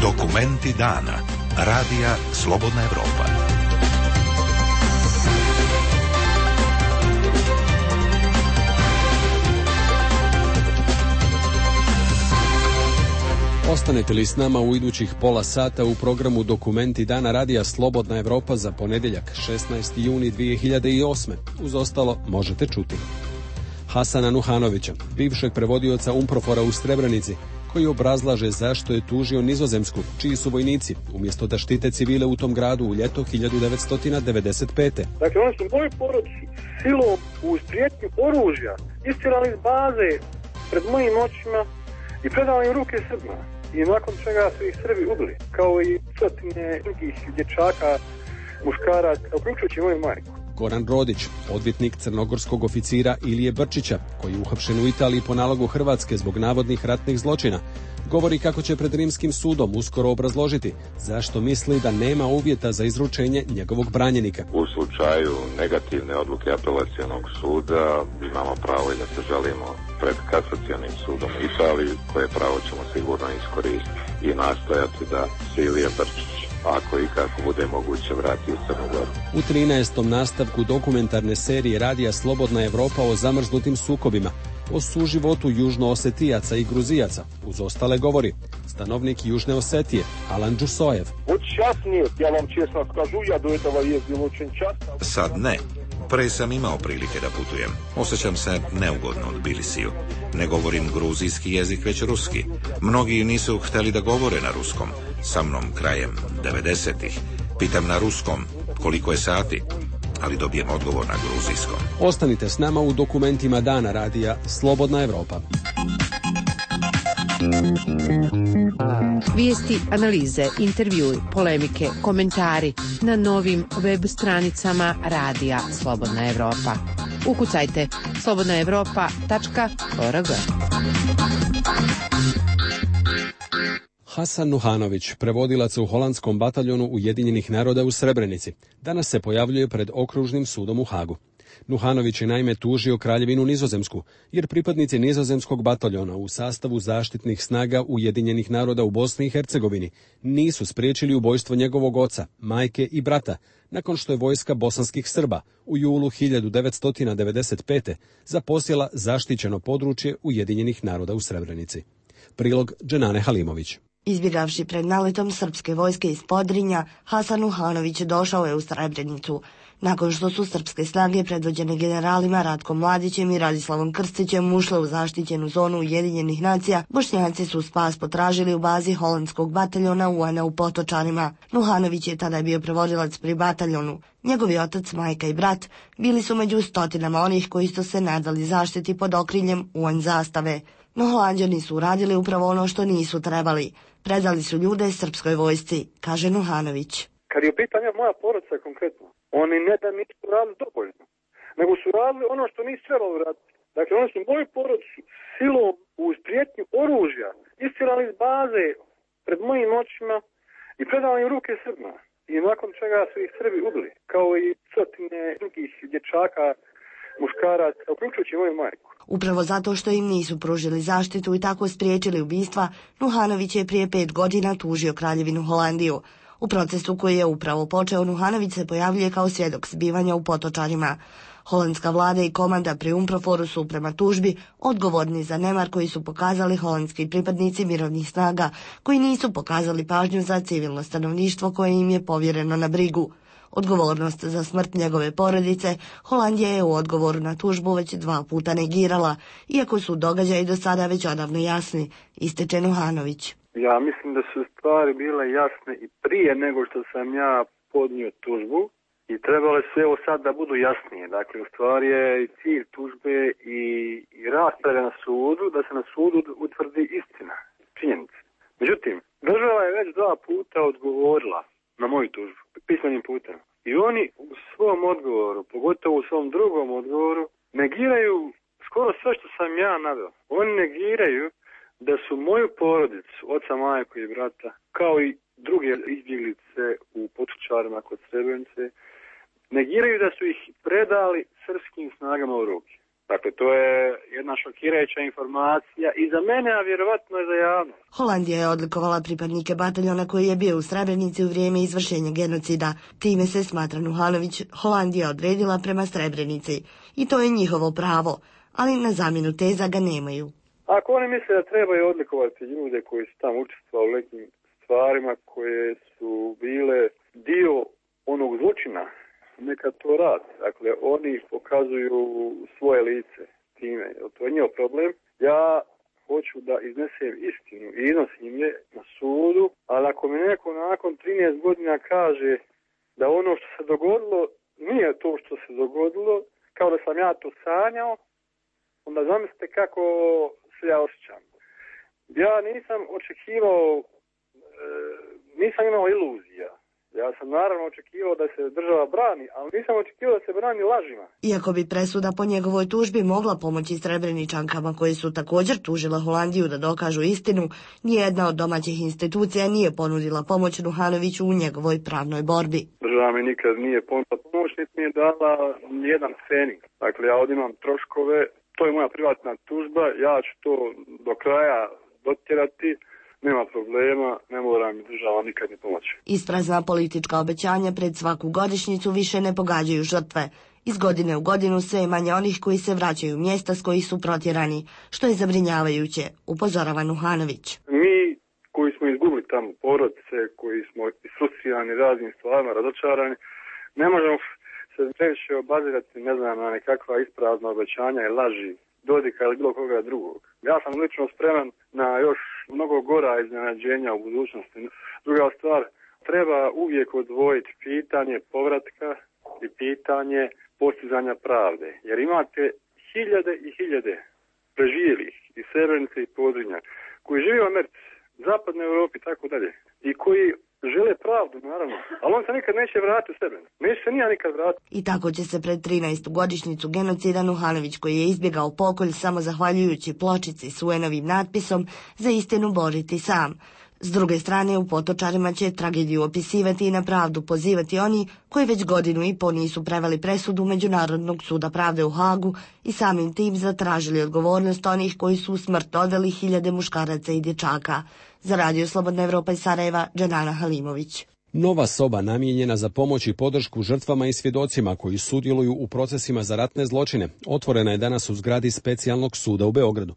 Dokumenti dana. Radija Slobodna Evropa. Ostanete li s nama u idućih pola sata u programu Dokumenti dana Radija Slobodna Evropa za ponedjeljak šesnaesti juni dvije hiljade osme. Uz ostalo možete čuti Hasana Nuhanovića, bivšeg prevodioca Umprofora u Srebrenici, koji obrazlaže zašto je tužio Nizozemsku, čiji su vojnici, umjesto da štite civile u tom gradu u ljeto hiljadu devetsto devedeset pete. Dakle, oni su moju porodicu silom uz prijetnju oružja istjerali iz baze pred mojim očima i predali im ruke Srbima. I nakon čega su ih Srbi ubili, kao i stotine drugih dječaka, muškaraca, uključujući moju majku. Goran Rodić, odvjetnik crnogorskog oficira Ilije Brčića, koji je uhapšen u Italiji po nalogu Hrvatske zbog navodnih ratnih zločina, govori kako će pred Rimskim sudom uskoro obrazložiti zašto misli da nema uvjeta za izručenje njegovog branjenika. U slučaju negativne odluke apelacionog suda imamo pravo i da se žalimo pred kasacionim sudom u Italiji, koje pravo ćemo sigurno iskoristiti i nastojati da se Ilija Brčić, ako i kako bude moguće, vrati u Crnu Goru. U trinaestom nastavku dokumentarne serije Radija Slobodna Evropa o zamrznutim sukobima, o suživotu južnoosetijaca i gruzijaca, uz ostale govori stanovnik Južne Osetije, Alan Đusojev. Od čas nije, ja vam česno skažu, ja do этого jezdil очень часто. Sad ne. Pre sam imao prilike da putujem. Osjećam se neugodno u Tbilisiju. Ne govorim gruzijski jezik, već ruski. Mnogi nisu htjeli da govore na ruskom. Sa mnom krajem devedesetih. Pitam na ruskom koliko je sati, ali dobijem odgovor na gruzijskom. Ostanite s nama u dokumentima dana Radija Slobodna Evropa. Vijesti, analize, intervjui, polemike, komentari na novim web stranicama Radija Slobodna Evropa. Ukucajte slobodna evropa tačka org. Hasan Nuhanović, prevodilac u holandskom bataljonu Ujedinjenih naroda u Srebrenici, danas se pojavljuje pred okružnim sudom u Hagu. Nuhanović je naime tužio Kraljevinu Nizozemsku, jer pripadnici nizozemskog bataljona u sastavu zaštitnih snaga Ujedinjenih naroda u Bosni i Hercegovini nisu spriječili ubojstvo njegovog oca, majke i brata, nakon što je vojska bosanskih Srba u julu hiljadu devetsto devedeset pete zaposjela zaštićeno područje Ujedinjenih naroda u Srebrenici. Prilog Dženane Halimović. Izbjegavši pred naletom srpske vojske iz Podrinja, Hasan Nuhanović došao je u Srebrenicu. Nakon što su srpske snage predvođene generalima Ratkom Mladićem i Radislavom Krstićem ušle u zaštićenu zonu Ujedinjenih nacija, Bošnjaci su spas potražili u bazi holandskog bataljona U N-a u Potočanima. Nuhanović je tada bio prevodilac pri bataljonu. Njegovi otac, majka i brat bili su među stotinama onih koji su se nadali zaštiti pod okriljem U N zastave. No Holanđani su uradili upravo ono što nisu trebali. Predali su ljude srpskoj vojsci, kaže Nuhanović. Kad je pitanja moja porodica konkretno, oni ne da nisu radili dovoljno, nego su radili ono što nisu trebali raditi. Dakle, oni su moju porodicu silom uz prijetnju oružja istirali iz baze pred mojim očima i predali im ruke Srbima. I nakon čega su ih Srbi ubili, kao i stotine drugih dječaka, muškaraca, uključujući moju majku. Upravo zato što im nisu pružili zaštitu i tako spriječili ubistva, Nuhanović je prije pet godina tužio Kraljevinu Holandiju. U procesu koji je upravo počeo, Nuhanović se pojavljuje kao svjedok zbivanja u Potočanima. Holandska vlada i komanda pri Umproforu su prema tužbi odgovorni za nemar koji su pokazali holandski pripadnici mirovnih snaga, koji nisu pokazali pažnju za civilno stanovništvo koje im je povjereno na brigu. Odgovornost za smrt njegove porodice Holandija je u odgovoru na tužbu već dva puta negirala, iako su događaji do sada već odavno jasni, ističe Nuhanović. Ja mislim da su stvari bile jasne i prije nego što sam ja podnio tužbu i trebale su evo sad da budu jasnije. Dakle, u stvari je i cilj tužbe i, i rasprave na sudu, da se na sudu utvrdi istina, činjenica. Međutim, država je već dva puta odgovorila na moju tužbu, pismenim putem. I oni u svom odgovoru, pogotovo u svom drugom odgovoru, negiraju skoro sve što sam ja naveo. Oni negiraju da su moju porodicu, oca, majku i brata, kao i druge izbjeglice u Potočarima kod Srebrenice, negiraju da su ih predali srpskim snagama u ruke. Dakle, to je jedna šokirajuća informacija i za mene, a vjerovatno i za javnost. Holandija je odlikovala pripadnike bataljona koji je bio u Srebrenici u vrijeme izvršenja genocida. Time se, smatra Nuhanović, Holandija odredila prema Srebrenici. I to je njihovo pravo, ali na zamjenu teza ga nemaju. Ako oni misle da trebaju odlikovati ljude koji su tamo učestvovali u nekim stvarima koje su bile dio onog zločina, neka to radi. Dakle, oni pokazuju svoje lice time. To je njihov problem. Ja hoću da iznesem istinu i iznosim je na sudu, ali ako mi neko nakon trinaest godina kaže da ono što se dogodilo nije to što se dogodilo, kao da sam ja to sanjao, onda zamislite kako se ja osjećam. Ja nisam očekivao, e, nisam imao iluzija. Ja sam naravno očekivao da se država brani, ali nisam očekivao da se brani lažima. Iako bi presuda po njegovoj tužbi mogla pomoći Srebreničankama koje su također tužile Holandiju da dokažu istinu, nijedna od domaćih institucija nije ponudila pomoć Nuhanoviću u njegovoj pravnoj borbi. Država mi nikad nije ponudila pomoć, niti mi je dala nijedan fening. Dakle, ja ovdje imam troškove, to je moja privatna tužba, ja ću to do kraja dotjerati. Nema problema, ne mora mi država nikad ni pomoći. Isprazna politička obećanja pred svaku godišnjicu više ne pogađaju žrtve. Iz godine u godinu sve je manje onih koji se vraćaju u mjesta s kojih su protjerani, što je zabrinjavajuće, upozorava Nuhanović. Mi koji smo izgubili tamo porodice, koji smo isfrustrirani raznim stvarima, razočarani, ne možemo se previše obazirati, ne znam, na nekakva isprazna obećanja i laži Dodika ili bilo koga drugog. Ja sam lično spreman na još mnogo gora iznenađenja u budućnosti. Druga stvar, treba uvijek odvojiti pitanje povratka i pitanje postizanja pravde. Jer imate hiljade i hiljade preživjelih iz Srebrenice i Podrinja koji žive u Americi, zapadnoj Europi i tako dalje i koji žele pravdu, naravno, ali on se nikad neće vratiti u sebe. Neće se nija nikad vratiti. I tako će se pred trinaestu godišnjicu genocida Nuhanović, koji je izbjegao pokolj samo zahvaljujući pločici s U N-ovim natpisom, za istinu boriti sam. S druge strane, u Potočarima će tragediju opisivati i na pravdu pozivati oni koji već godinu i po nisu preveli presudu Međunarodnog suda pravde u Hagu i samim tim zatražili odgovornost onih koji su u smrt odveli hiljade muškaraca i dječaka. Za Radio Slobodna Evropa iz Sarajeva, Dženana Halimović. Nova soba namijenjena za pomoć i podršku žrtvama i svjedocima koji sudjeluju u procesima za ratne zločine otvorena je danas u zgradi Specijalnog suda u Beogradu.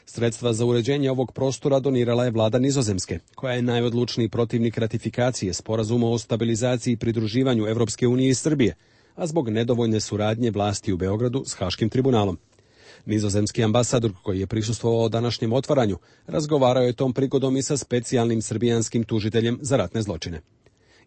Sredstva za uređenje ovog prostora donirala je vlada Nizozemske, koja je najodlučniji protivnik ratifikacije sporazuma o stabilizaciji i pridruživanju Evropske unije i Srbije, a zbog nedovoljne suradnje vlasti u Beogradu s Haškim tribunalom. Nizozemski ambasador koji je prisustvovao današnjem otvaranju razgovarao je tom prigodom i sa specijalnim srbijanskim tužiteljem za ratne zločine.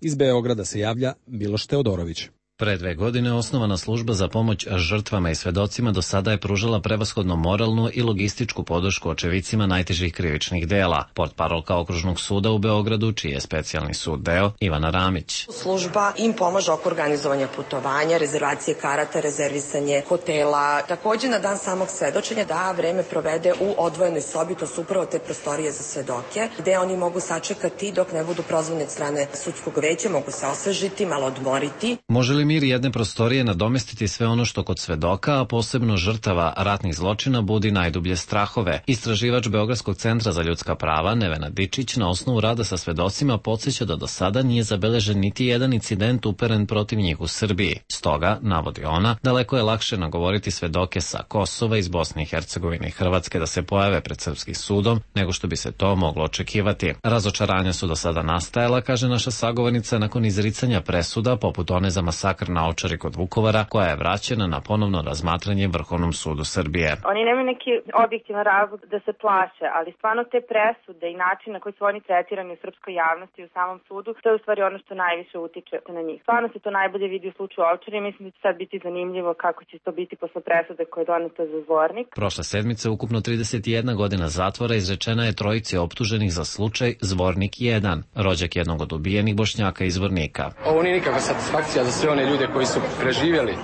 Iz Beograda se javlja Miloš Teodorović. Pre dve godine osnovana služba za pomoć žrtvama i svedocima do sada je pružala prevashodno moralnu i logističku podršku očevicima najtežih krivičnih dela. Portparolka Okružnog suda u Beogradu, čiji je specijalni sud deo, Ivana Ramić. Služba im pomaže oko organizovanja putovanja, rezervacije karata, rezervisanje hotela. Također na dan samog svedočenja da vreme provede u odvojenoj sobi, to su upravo te prostorije za svedoke, gde oni mogu sačekati dok ne budu prozvani od strane sudskog veća, mogu se osvežiti, malo odmoriti. Može li mir jedne prostorije nadomestiti sve ono što kod svedoka, a posebno žrtava ratnih zločina, budi najdublje strahove? Istraživač Beogradskog centra za ljudska prava Nevena Dičić na osnovu rada sa svedocima podsjeća da do sada nije zabeležen niti jedan incident uperen protiv njih u Srbiji. Stoga, navodi ona, daleko je lakše nagovoriti svedoke sa Kosova, iz Bosne i Hercegovine i Hrvatske da se pojave pred srpskim sudom, nego što bi se to moglo očekivati. Razočaranja su do sada nastajala, kaže naša sagovornica, nakon izricanja presuda, poput one za masakr na Ovčari kod Vukovara, koja je vraćena na ponovno razmatranje Vrhovnom sudu Srbije. Oni nemaju neki objektivan razlog da se plaše, ali stvarno te presude i način na koji su oni tretirani u srpskoj javnosti i u samom sudu, to je u stvari ono što najviše utiče na njih. Stvarno se to najbolje vidi u slučaju Ovčari i mislim da će sad biti zanimljivo kako će to biti posle presude koja je doneta za Zvornik. Prošle sedmice ukupno trideset jedna godina zatvora izrečena je trojici optuženih za slučaj Zvornik jedan, rođak jednog od ubijenih Bošnjaka iz Zvornika. Ovo nije nikakva satisfakcija za sve one ljude koji su preživjeli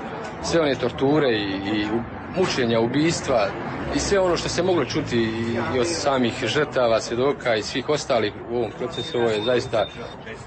sve one torture i, i mučenja, ubistva i sve ono što se moglo čuti i od samih žrtava, svjedoka i svih ostalih u ovom procesu, ovo je zaista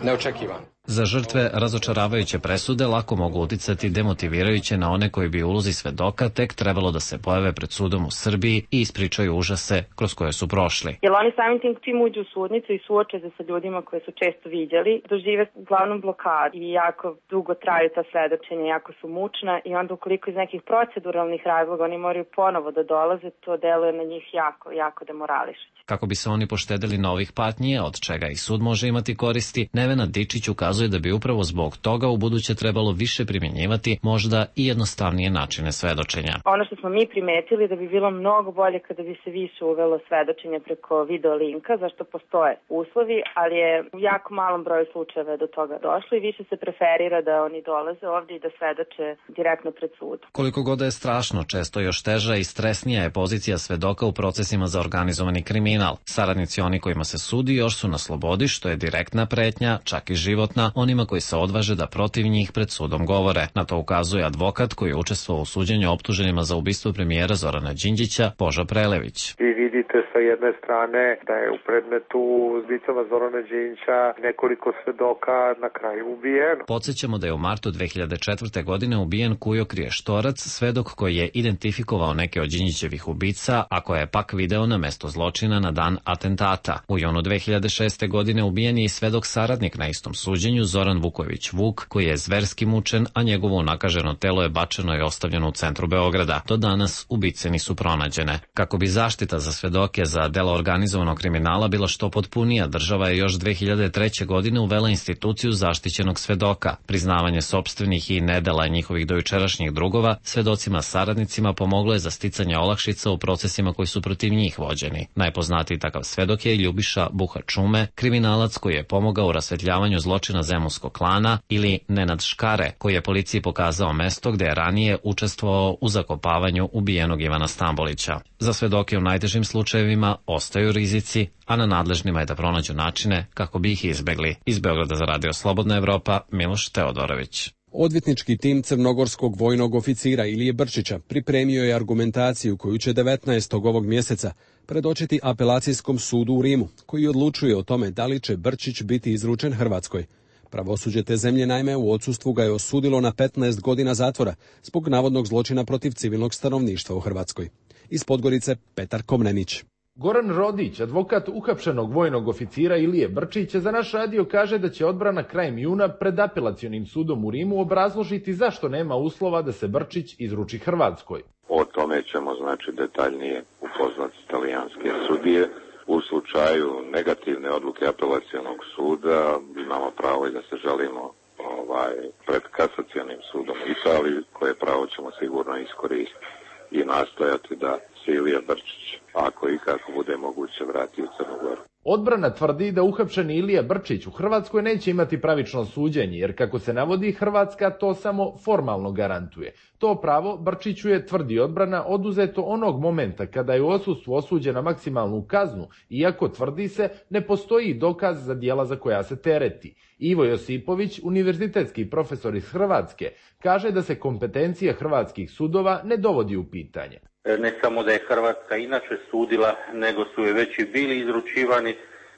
neočekivano. Za žrtve razočaravajuće presude lako mogu uticati demotivirajuće na one koji bi u ulozi svedoka tek trebalo da se pojave pred sudom u Srbiji i ispričaju užase kroz koje su prošli. Jer oni samim tim čim uđu u sudnicu i suoče se sa ljudima koje su često viđali, dožive uglavnom blokadu i jako dugo traju ta svedočenja, jako su mučna i onda ukoliko iz nekih proceduralnih razloga oni moraju ponovo da dolaze, to deluje na njih jako, jako demorališuće. Kako bi se oni poštedeli novih patnji, od čega i sud može imati koristi, Nevena Dičić ukazuje da bi upravo zbog toga u buduće trebalo više primjenjivati možda i jednostavnije načine svedočenja. Ono što smo mi primetili da bi bilo mnogo bolje kada bi se više uvelo svedočenje preko video linka, zašto postoje uslovi, ali je u jako malom broju slučajeva do toga došlo i više se preferira da oni dolaze ovdje i da svedoče direktno pred sudom. Koliko god je strašno, često još teža i stresnija je pozicija svedoka u procesima za organizovani kriminal. Saradnici oni kojima se sudi još su na slobodi, što je direktna pretnja, čak i životna, onima koji se odvaže da protiv njih pred sudom govore. Na to ukazuje advokat koji je učestvovao u suđenju optuženima za ubistvo premijera Zorana Đinđića, Božo Prelević. Vi vidite sa jedne strane da je u predmetu ubicama Zorana Đinđića nekoliko svedoka na kraju ubijeno. Podsjećamo da je u martu dve hiljade četvrte. godine ubijen Kujo Kriještorac, svedok koji je identifikovao neke od Đinđićevih ubica, a koje je pak video na mesto zločina na dan atentata. U junu dve hiljade šeste. godine ubijen je i svedok saradnik na istom suđenju Zoran Vuković Vuk, koji je zverski mučen, a njegovo unakaženo telo je bačeno i ostavljeno u centru Beograda. Do danas ubice nisu pronađene. Kako bi zaštita za svedoke za dela organizovanog kriminala bila što potpunija, država je još dve hiljade treće. godine uvela instituciju zaštićenog svedoka. Priznavanje sopstvenih i nedela njihovih dojučerašnjih drugova svedocima saradnicima pomoglo je za sticanje olakšica u procesima koji su protiv njih vođeni. Najpoznatiji takav svedok je Ljubiša Buha Čume, kriminalac koji je pomogao u rasvetljavanju zločina zemunskog klana, ili Nenad Škare, koji je policiji pokazao mesto gde je ranije učestvovao u zakopavanju ubijenog Ivana Stambolića. Za svedoke u najtežim slučajevima ostaju rizici, a na nadležnima je da pronađu načine kako bi ih izbegli. Iz Beograda za Radio Slobodna Evropa, Miloš Teodorović. Odvjetnički tim crnogorskog vojnog oficira Ilije Brčića pripremio je argumentaciju koju će devetnaestog ovog mjeseca predočiti apelacijskom sudu u Rimu, koji odlučuje o tome da li će Brčić biti izručen Hrvatskoj. Pravosuđe te zemlje naime u odsustvu ga je osudilo na petnaest godina zatvora zbog navodnog zločina protiv civilnog stanovništva u Hrvatskoj. Iz Podgorice Petar Komnenić. Goran Rodić, advokat uhapšenog vojnog oficira Ilije Brčića, za naš radio kaže da će odbrana krajem juna pred apelacionim sudom u Rimu obrazložiti zašto nema uslova da se Brčić izruči Hrvatskoj. O tome ćemo znači detaljnije upoznati talijanske sudije. U slučaju negativne odluke apelacionog suda imamo pravo i da se žalimo ovaj, pred kasacionim sudom Italiji, koje pravo ćemo sigurno iskoristiti i nastojati da se Ilija Brčić, ako i kako bude moguće, vrati u Crnu Goru. Odbrana tvrdi da uhapšeni Ilija Brčić u Hrvatskoj neće imati pravično suđenje, jer kako se navodi, Hrvatska to samo formalno garantuje. To pravo Brčiću je, tvrdi odbrana, oduzeto onog momenta kada je u odsustvu osuđen na maksimalnu kaznu, iako, tvrdi se, ne postoji dokaz za djela za koja se tereti. Ivo Josipović, univerzitetski profesor iz Hrvatske, kaže da se kompetencija hrvatskih sudova ne dovodi u pitanje. Ne samo da je Hrvatska inače sudila, nego su je već i bili izručivani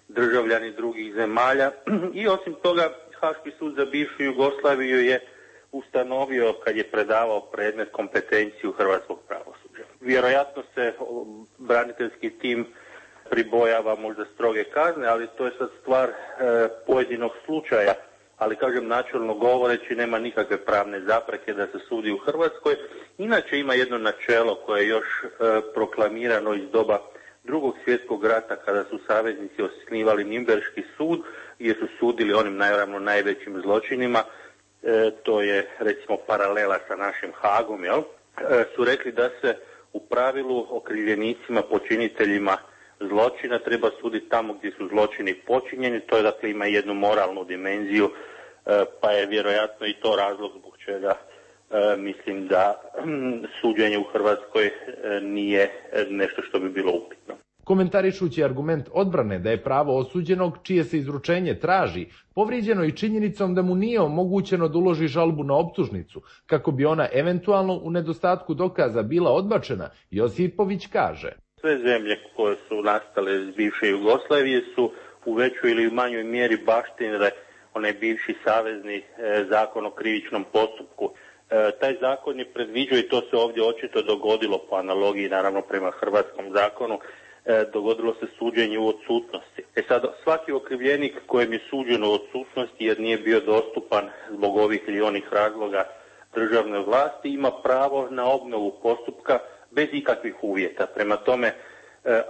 državljani drugih zemalja i osim toga Haški sud za bivšu Jugoslaviju je ustanovio, kad je predavao predmet, kompetenciju hrvatskog pravosuđa. Vjerojatno se braniteljski tim pribojava možda stroge kazne, ali to je sad stvar e, pojedinog slučaja. Ali, kažem, načelno govoreći, nema nikakve pravne zapreke da se sudi u Hrvatskoj. Inače ima jedno načelo koje je još e, proklamirano iz doba Drugog svjetskog rata, kada su saveznici osnivali Nimberški sud, gdje su sudili onim naravno najvećim zločinima, e, to je recimo paralela sa našim Hagom, jel? E, su rekli da se u pravilu okrivljenicima, počiniteljima zločina treba suditi tamo gdje su zločini počinjeni, to je, dakle, ima jednu moralnu dimenziju, pa je vjerojatno i to razlog zbog čega mislim da suđenje u Hrvatskoj nije nešto što bi bilo upitno. Komentarišući argument odbrane da je pravo osuđenog čije se izručenje traži povrijeđeno i činjenicom da mu nije omogućeno da uloži žalbu na optužnicu, kako bi ona eventualno u nedostatku dokaza bila odbačena, Josipović kaže: sve zemlje koje su nastale iz bivše Jugoslavije su u većoj ili manjoj mjeri baštinile onaj bivši savezni zakon o krivičnom postupku. Taj zakon je predviđao, i to se ovdje očito dogodilo po analogiji naravno prema hrvatskom zakonu, dogodilo se suđenje u odsutnosti. E sad, svaki okrivljenik kojem je suđeno u odsutnosti jer nije bio dostupan zbog ovih ili onih razloga državne vlasti ima pravo na obnovu postupka bez ikakvih uvjeta. Prema tome,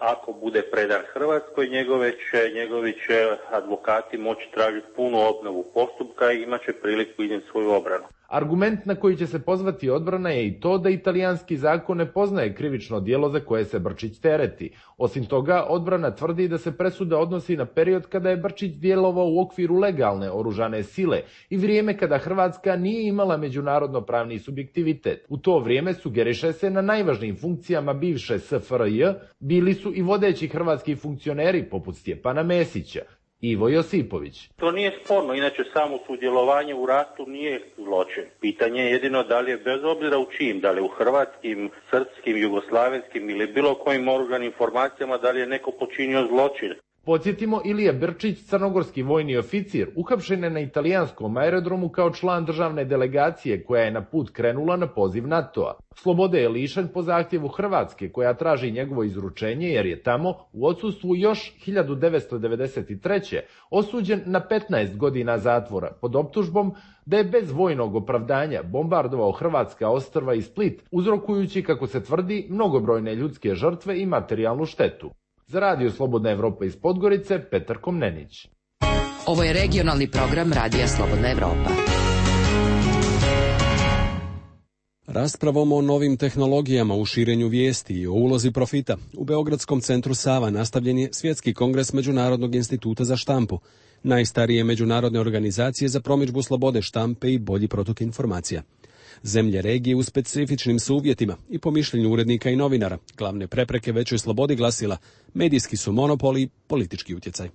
ako bude predan Hrvatskoj, njegove će, njegovi će advokati moći tražiti punu obnovu postupka i imat će priliku iznijeti svoju obranu. Argument na koji će se pozvati odbrana je i to da italijanski zakon ne poznaje krivično djelo za koje se Brčić tereti. Osim toga, odbrana tvrdi da se presuda odnosi na period kada je Brčić djelovao u okviru legalne oružane sile i vrijeme kada Hrvatska nije imala međunarodno pravni subjektivitet. U to vrijeme sugeriše se na najvažnijim funkcijama bivše S F R J bili su i vodeći hrvatski funkcioneri poput Stjepana Mesića. Ivo Josipović. To nije sporno, inače samo sudjelovanje u ratu nije zločin. Pitanje je jedino da li je bez obzira u čim, da li u hrvatskim, srpskim, jugoslavenskim ili bilo kojim oružanim formacijama, da li je neko počinio zločin. Podsjetimo, Ilija Brčić, crnogorski vojni oficir, uhapšen je na italijanskom aerodromu kao član državne delegacije koja je na put krenula na poziv NATO-a. Slobode je lišen po zahtjevu Hrvatske koja traži njegovo izručenje jer je tamo u odsustvu još hiljadu devetsto devedeset treće osuđen na petnaest godina zatvora pod optužbom da je bez vojnog opravdanja bombardovao hrvatska ostrva i Split, uzrokujući, kako se tvrdi, mnogobrojne ljudske žrtve i materijalnu štetu. Za Radio Slobodna Evropa iz Podgorice, Petar Komnenić. Ovo je regionalni program Radija Slobodna Evropa. Raspravom o novim tehnologijama u širenju vijesti i o ulozi profita u Beogradskom centru Sava nastavljen je Svjetski kongres Međunarodnog instituta za štampu, najstarije međunarodne organizacije za promidžbu slobode štampe i bolji protok informacija. Zemlje regije u specifičnim su uvjetima i po mišljenju urednika i novinara glavne prepreke većoj slobodi glasila medijski su monopoli i politički utjecaj.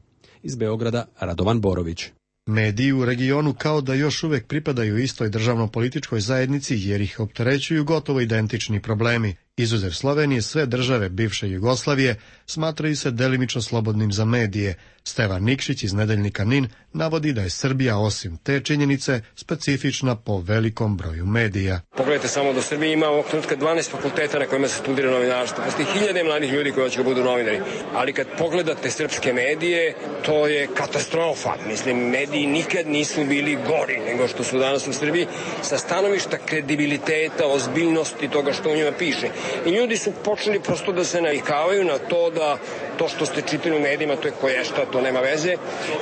Iz Beograda Radovan Borović. Mediji u regionu kao da još uvijek pripadaju istoj državno-političkoj zajednici jer ih opterećuju gotovo identični problemi. Izuzev Slovenije, sve države bivše Jugoslavije smatraju se delimično slobodnim za medije. Stevan Nikšić iz nedeljnika N I N navodi da je Srbija osim te činjenice specifična po velikom broju medija. Pogledajte samo da Srbija ima ovog trenutka dvanaest fakulteta na kojima se studira novinarstvo. Postoji hiljade mladih ljudi koji hoće da budu novinari. Ali kad pogledate srpske medije, to je katastrofa. Mislim, mediji nikad nisu bili gori nego što su danas u Srbiji sa stanovišta kredibiliteta, ozbiljnosti toga što u njima piše. I ljudi su počeli prosto da se navikavaju na to da to što ste čitali u medijima, to je koješta, to nema veze.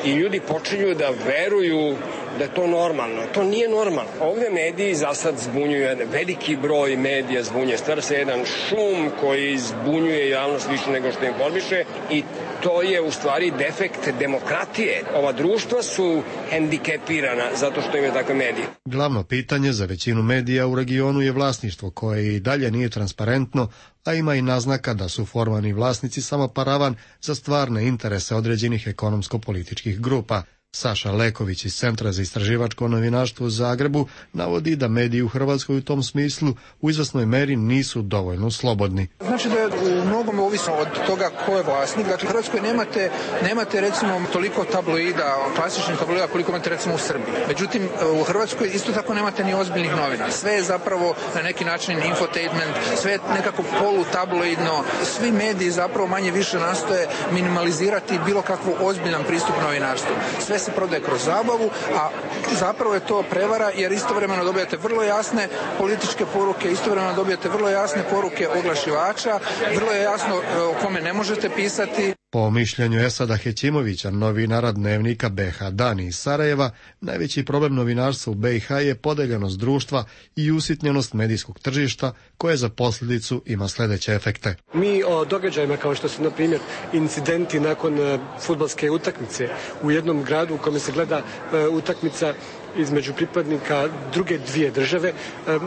I ljudi počinju da veruju da je to normalno. To nije normalno. Ovdje mediji za sad zbunjuju, jedan veliki broj medija zbunjuje. Stvara se jedan šum koji zbunjuje javnost više nego što informiše i to je u stvari defekt demokratije. Ova društva su hendikepirana zato što imaju takve medije. Glavno pitanje za većinu medija u regionu je vlasništvo koje i dalje nije transparentno, a ima i naznaka da su formalni vlasnici samo paravan za stvarne interese određenih ekonomsko-političkih grupa. Saša Leković iz Centra za istraživačko novinarstvo u Zagrebu navodi da mediji u Hrvatskoj u tom smislu u izvesnoj meri nisu dovoljno slobodni. Znači da je u mnogom ovisno od toga ko je vlasnik. Dakle, u Hrvatskoj nemate, nemate recimo toliko tabloida, klasičnih tabloida koliko imate recimo u Srbiji. Međutim, u Hrvatskoj isto tako nemate ni ozbiljnih novina. Sve je zapravo na neki način infotainment, sve je nekako polutabloidno. Svi mediji zapravo manje više nastoje minimalizirati bilo kakvu ozbiljan pristup novinarstvu. Sve se prodaje kroz zabavu, a zapravo je to prevara jer istovremeno dobijate vrlo jasne političke poruke, istovremeno dobijate vrlo jasne poruke oglašivača, vrlo je jasno o kome ne možete pisati. Po mišljenju Esada Hećimovića, novinara dnevnika B H Dan iz Sarajeva, najveći problem novinarstva u B i H je podeljenost društva i usitnjenost medijskog tržišta koje za posljedicu ima sljedeće efekte. Mi o događajima kao što su na primjer incidenti nakon uh, fudbalske utakmice u jednom gradu u kome se gleda uh, utakmica između pripadnika druge dvije države,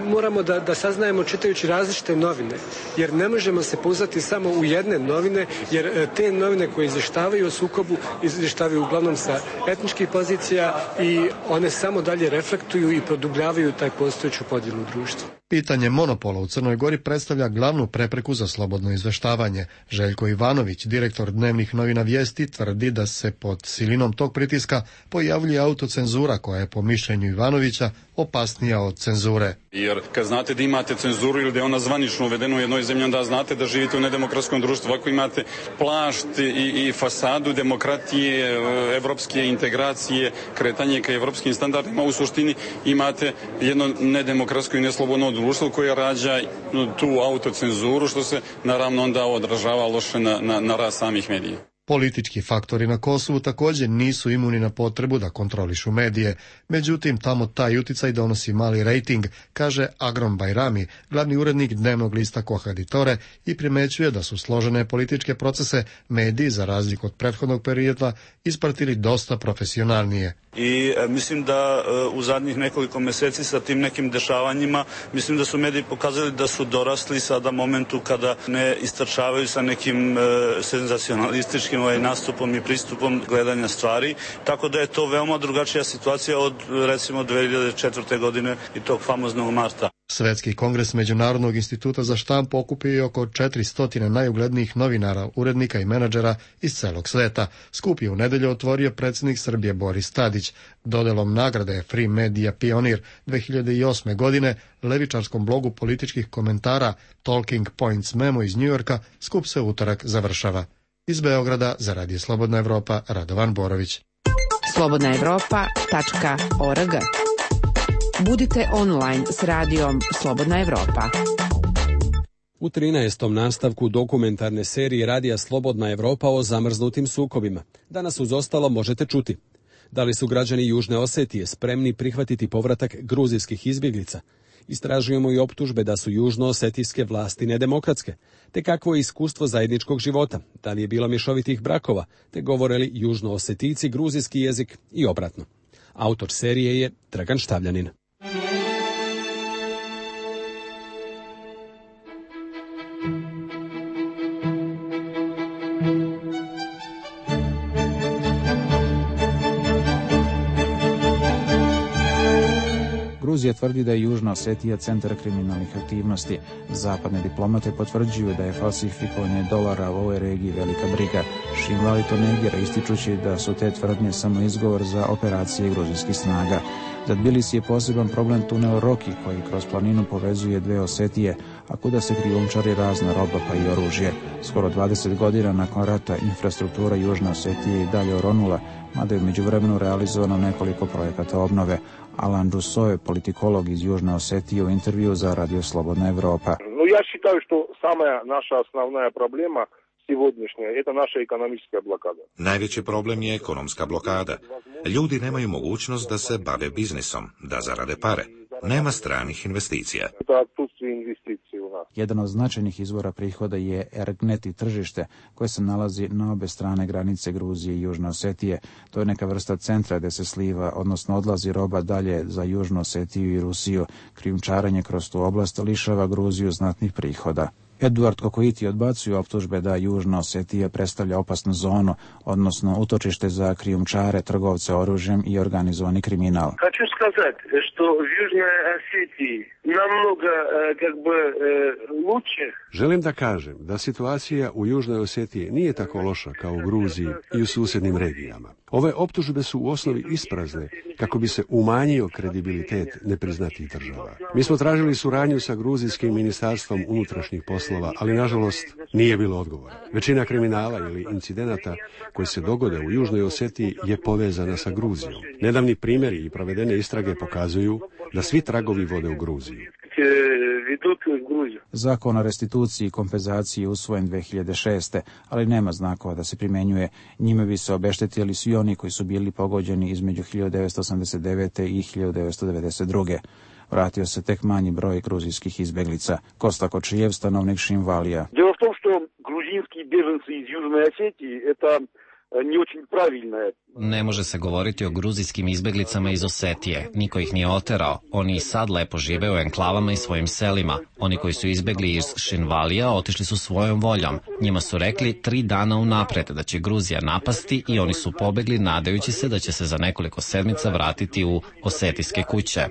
moramo da, da saznajemo čitajući različite novine, jer ne možemo se pouzdati samo u jedne novine, jer te novine koje izvještavaju o sukobu izvještavaju uglavnom sa etničkih pozicija i one samo dalje reflektuju i produbljavaju taj postojeću podjelu društva. Pitanje monopola u Crnoj Gori predstavlja glavnu prepreku za slobodno izveštavanje. Željko Ivanović, direktor dnevnih novina Vijesti, tvrdi da se pod silinom tog pritiska pojavljuje autocenzura koja je po mišljenju Ivanovića opasnija od cenzure. Jer kad znate da imate cenzuru ili da je ona zvanično uvedena u jednoj zemlji, onda znate da živite u nedemokratskom društvu. Ako imate plašt i, i fasadu demokratije, evropske integracije, kretanje ka evropskim standardima, u suštini imate jedno nedemokratsko i neslobodno društvo koje rađa tu autocenzuru, što se naravno onda odražava loše na, na, na rast samih medija. Politički faktori na Kosovu također nisu imuni na potrebu da kontrolišu medije. Međutim, tamo taj uticaj donosi mali rejting, kaže Agrom Bajrami, glavni urednik dnevnog lista Kohaditore, i primećuje da su složene političke procese mediji, za razliku od prethodnog perioda, ispratili dosta profesionalnije. I e, mislim da e, u zadnjih nekoliko mjeseci sa tim nekim dešavanjima, mislim da su mediji pokazali da su dorasli sada momentu kada ne istrčavaju sa nekim e, senzacionalističkim ovaj, nastupom i pristupom gledanja stvari, tako da je to veoma drugačija situacija od recimo dve hiljade četvrte. godine i tog famoznog marta. Svetski kongres Međunarodnog instituta za štampu okupio je oko četiristo najuglednijih novinara, urednika i menadžera iz celog sveta. Skup je u nedelju otvorio predsjednik Srbije Boris Tadić. Dodelom nagrade Free Media Pionir dve hiljade osme. godine levičarskom blogu političkih komentara Talking Points Memo iz Njujorka skup se utorak završava. Iz Beograda za Radio Slobodna Evropa, Radovan Borović. slobodna evropa tačka org. Budite online s radijom Slobodna Evropa. U trinaestom nastavku dokumentarne serije Radija Slobodna Evropa o zamrznutim sukobima. Danas uz ostalo možete čuti: da li su građani Južne Osetije spremni prihvatiti povratak gruzijskih izbjeglica? Istražujemo i optužbe da su južnoosetijske vlasti nedemokratske, te kakvo je iskustvo zajedničkog života, da li je bilo mješovitih brakova, te govore li južnoosetijci gruzijski jezik i obratno. Autor serije je Dragan Štavljanin. Gruzija tvrdi da je Južna Osetija centar kriminalnih aktivnosti. Zapadne diplomate potvrđuju da je falsifikovanje dolara u ovoj regiji velika briga. Šinvali to negira, ističući da su te tvrdnje samo izgovor za operacije gruzijskih snaga. Za Tbilisi je poseban problem tunel Roki, koji kroz planinu povezuje dve Osetije, a kuda se krijumčari razna roba pa i oružje. Skoro dvadeset godina nakon rata infrastruktura Južne Osetije i dalje oronula, mada je u međuvremenu realizovano nekoliko projekata obnove. Alan Russo je politikolog iz Južne Osetije u intervju za Radio Slobodna Evropa. No, ja считаю, što sama naša osnovna problema сегодняшняя – это наша экономическая блокада. Najveći problem je ekonomska blokada. Ljudi nemaju mogućnost da se bave biznisom, da zarade pare. Nema stranih investicija. Jedan od značajnih izvora prihoda je Ergneti tržište, koje se nalazi na obe strane granice Gruzije i Južne Osetije. To je neka vrsta centra gdje se sliva, odnosno odlazi roba dalje za Južnu Osetiju i Rusiju. Krijumčarenje kroz tu oblast lišava Gruziju znatnih prihoda. Eduard Kokoiti odbacuje optužbe da Južna Osetija predstavlja opasnu zonu, odnosno utočište za krijumčare, trgovce oružjem i organizovani kriminal. Хочу сказать, что в Южной Осетии намного как бы лучше. Želim da kažem da situacija u Južnoj Osetiji nije tako loša kao u Gruziji i u susjednim regijama. Ove optužbe su u osnovi isprazne kako bi se umanjio kredibilitet nepriznatih država. Mi smo tražili suradnju sa gruzijskim ministarstvom unutrašnjih poslova, ali nažalost nije bilo odgovora. Većina kriminala ili incidenata koji se dogode u Južnoj Osetiji je povezana sa Gruzijom. Nedavni primjeri i provedene istrage pokazuju da svi tragovi vode u Gruziju. Zakon o restituciji i kompenzaciji je usvojen dve hiljade šeste. ali nema znakova da se primjenjuje. Njime bi se obeštetili svi oni koji su bili pogođeni između hiljadu devetsto osamdeset devete. i hiljadu devetsto devedeset druge. Vratio se tek manji broj gruzijskih izbeglica. Kosta Kočijev, stanovnik Šinvalija. Дело в том, что грузинские беженцы из Южной Осетии – это не очень правильное Ne može se govoriti o gruzijskim izbeglicama iz Osetije. Niko ih nije oterao. Oni i sad lepo žive u enklavama i svojim selima. Oni koji su izbegli iz Šinvalija otišli su svojom voljom. Njima su rekli tri dana unapred da će Gruzija napasti i oni su pobegli nadajući se da će se za nekoliko sedmica vratiti u osetijske kuće.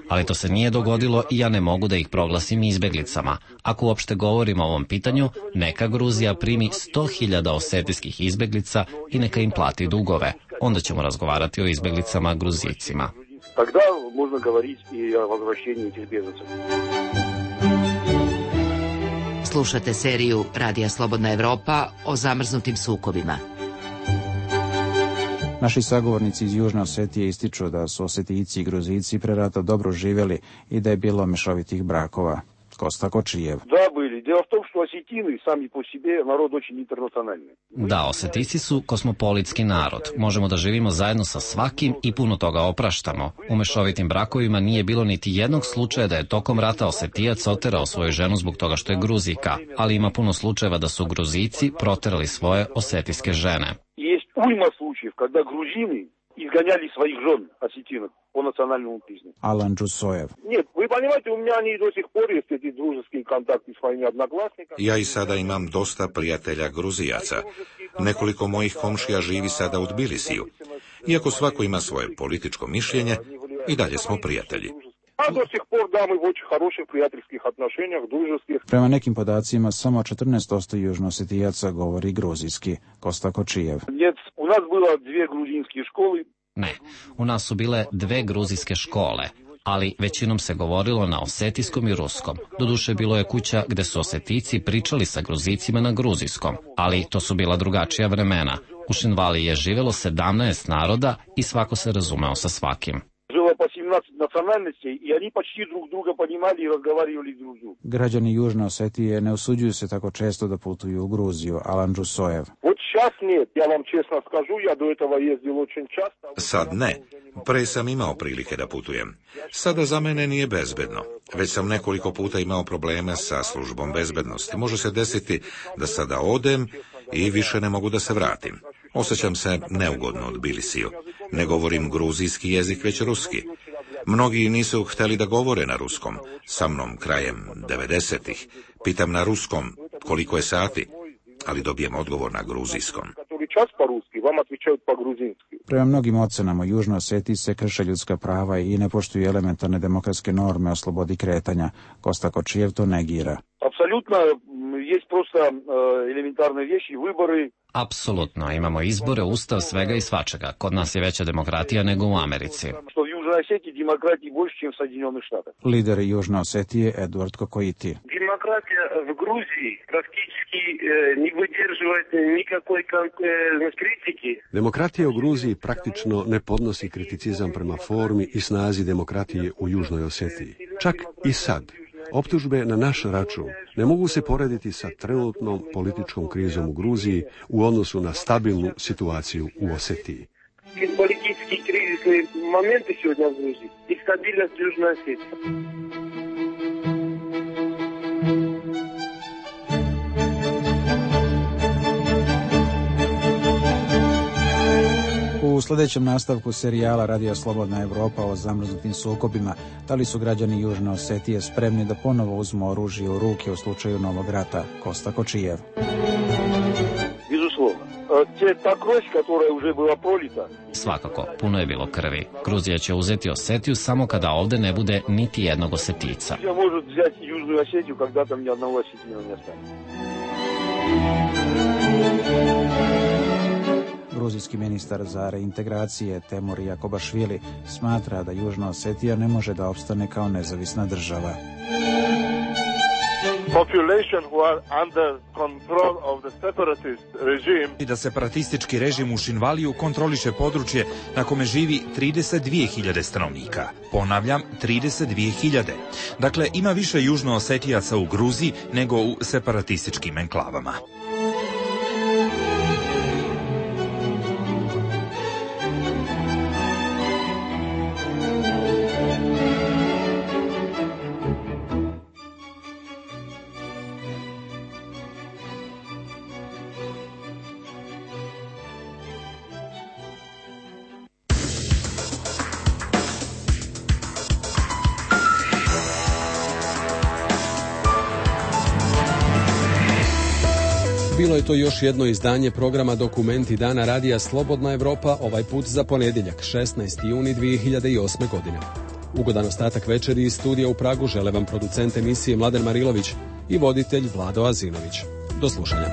Ali to se nije dogodilo i ja ne mogu da ih proglasim izbeglicama. Ako uopšte govorimo o ovom pitanju, neka Gruzija primi sto hiljada osetijskih izbeglica i neka im plati dugove. Onda ćemo razgovarati o izbeglicama Gruzijcima. Тогда можно говорить и о возвращении этих беженцев. Slušate seriju Radija Slobodna Evropa o zamrznutim sukobima. Naši sagovornici iz Južne Osetije ističu da su Osetijci i Gruzijci pre rata dobro živjeli i da je bilo mešovitih brakova. Kosta Kočijev. Да, были. Дело в том, что осетины сами по себе народ очень интернациональный. Da, Osetijci su kosmopolitski narod. Možemo da živimo zajedno sa svakim i puno toga opraštamo. U mešovitim brakovima nije bilo niti jednog slučaja da je tokom rata Osetijac oterao svoju ženu zbog toga što je Gruzijka, ali ima puno slučajeva da su Gruzijci proterali svoje osetijske žene. Есть уйма случаев, когда грузины изгоняли своих жен осетинок по национальному признаку. Alan Džusojev. Нет, вы понимаете, у меня они до сих пор есть эти дружеские контакты с моими одноклассниками. Ja i sada imam dosta prijatelja Gruzijaca. Nekoliko mojih komšija živi sada u Tbilisiju. Iako svako ima svoje političko mišljenje, i dalje smo prijatelji. А до сих пор, да, мы в очень хороших приятельских отношениях, дружеских. Prema nekim podacima, samo četrnaest posto južnoosetijaca govori gruzijski. Kosta Kočijev. Нет, у нас было две грузинские школы. Ne, u nas su bile dve gruzijske škole, ali većinom se govorilo na osetijskom i ruskom. Doduše bilo je kuća gde su Osetijci pričali sa Gruzijcima na gruzijskom, ali to su bila drugačija vremena. U Šinvaliji je živelo sedamnaest naroda i svako se razumeo sa svakim. Жило по семнадцать национальностей, и они почти друг друга понимали и разговаривали друг с другом. Građani Južne Osetije ne usuđuju se tako često da putuju u Gruziju. Alan Džusojev. Вот сейчас нет, я вам честно скажу, я до этого ездил очень часто. Sad ne. Pre sam imao prilike da putujem. Sada za mene nije bezbedno. Već sam nekoliko puta imao probleme sa službom bezbednosti. Može se desiti da sada odem i više ne mogu da se vratim. Osjećam se neugodno u Tbilisiju. Ne govorim gruzijski jezik, već ruski. Mnogi nisu hteli da govore na ruskom. Sa mnom krajem devedesetih. Pitam na ruskom koliko je sati, ali dobijem odgovor na gruzijskom. Prema mnogim ocenama, u Južnoj Osetiji se krše ljudska prava i ne poštuju elementarne demokratske norme o slobodi kretanja. Kosta Kočijev to negira. Apsolutno, есть просто элементарные вещи, выборы. Apsolutno, imamo izbore, ustav, svega i svačega. Kod nas je veća demokratija nego u Americi. Što u Južnoj Osetiji demokratiji больше, чем в Соединенных Штатах. Lider Južne Osetije Eduard Kokoiti. Демократия в Грузии практически не выдерживает никакой критики. Demokratija u Gruziji praktično ne podnosi kriticizam prema formi i snazi demokratije u Južnoj Osetiji. Čak i sad. Optužbe na naš račun ne mogu se porediti sa trenutnom političkom krizom u Gruziji u odnosu na stabilnu situaciju u Osetiji. Политические кризисные моменты сегодня в Грузии и стабильность в Южной Осетии. U sljedećem nastavku serijala Radio Slobodna Evropa o zamrznutim sukobima, da li su građani Južne Osetije spremni da ponovo uzmu oružje u ruke u slučaju novog rata? Kosta Kočijev. Svakako, puno je bilo krvi. Gruzija će uzeti Osetiju samo kada ovde ne bude niti jednog Osetica. Gruzijski ministar za reintegracije Temur Jakobašvili smatra da Južna Osetija ne može da opstane kao nezavisna država. I da separatistički režim u Šinvaliju kontroliše područje na kome živi trideset dvije hiljade stanovnika. Ponavljam, trideset dvije hiljade. Dakle, ima više Južnoosetijaca u Gruziji nego u separatističkim enklavama. Bilo je to još jedno izdanje programa Dokumenti dana radija Slobodna Evropa, ovaj put za ponedjeljak, šesnaesti juni dvije hiljade osme. godine. Ugodan ostatak večeri iz studija u Pragu žele vam producent emisije Mladen Marilović i voditelj Vlado Azinović. Do slušanja.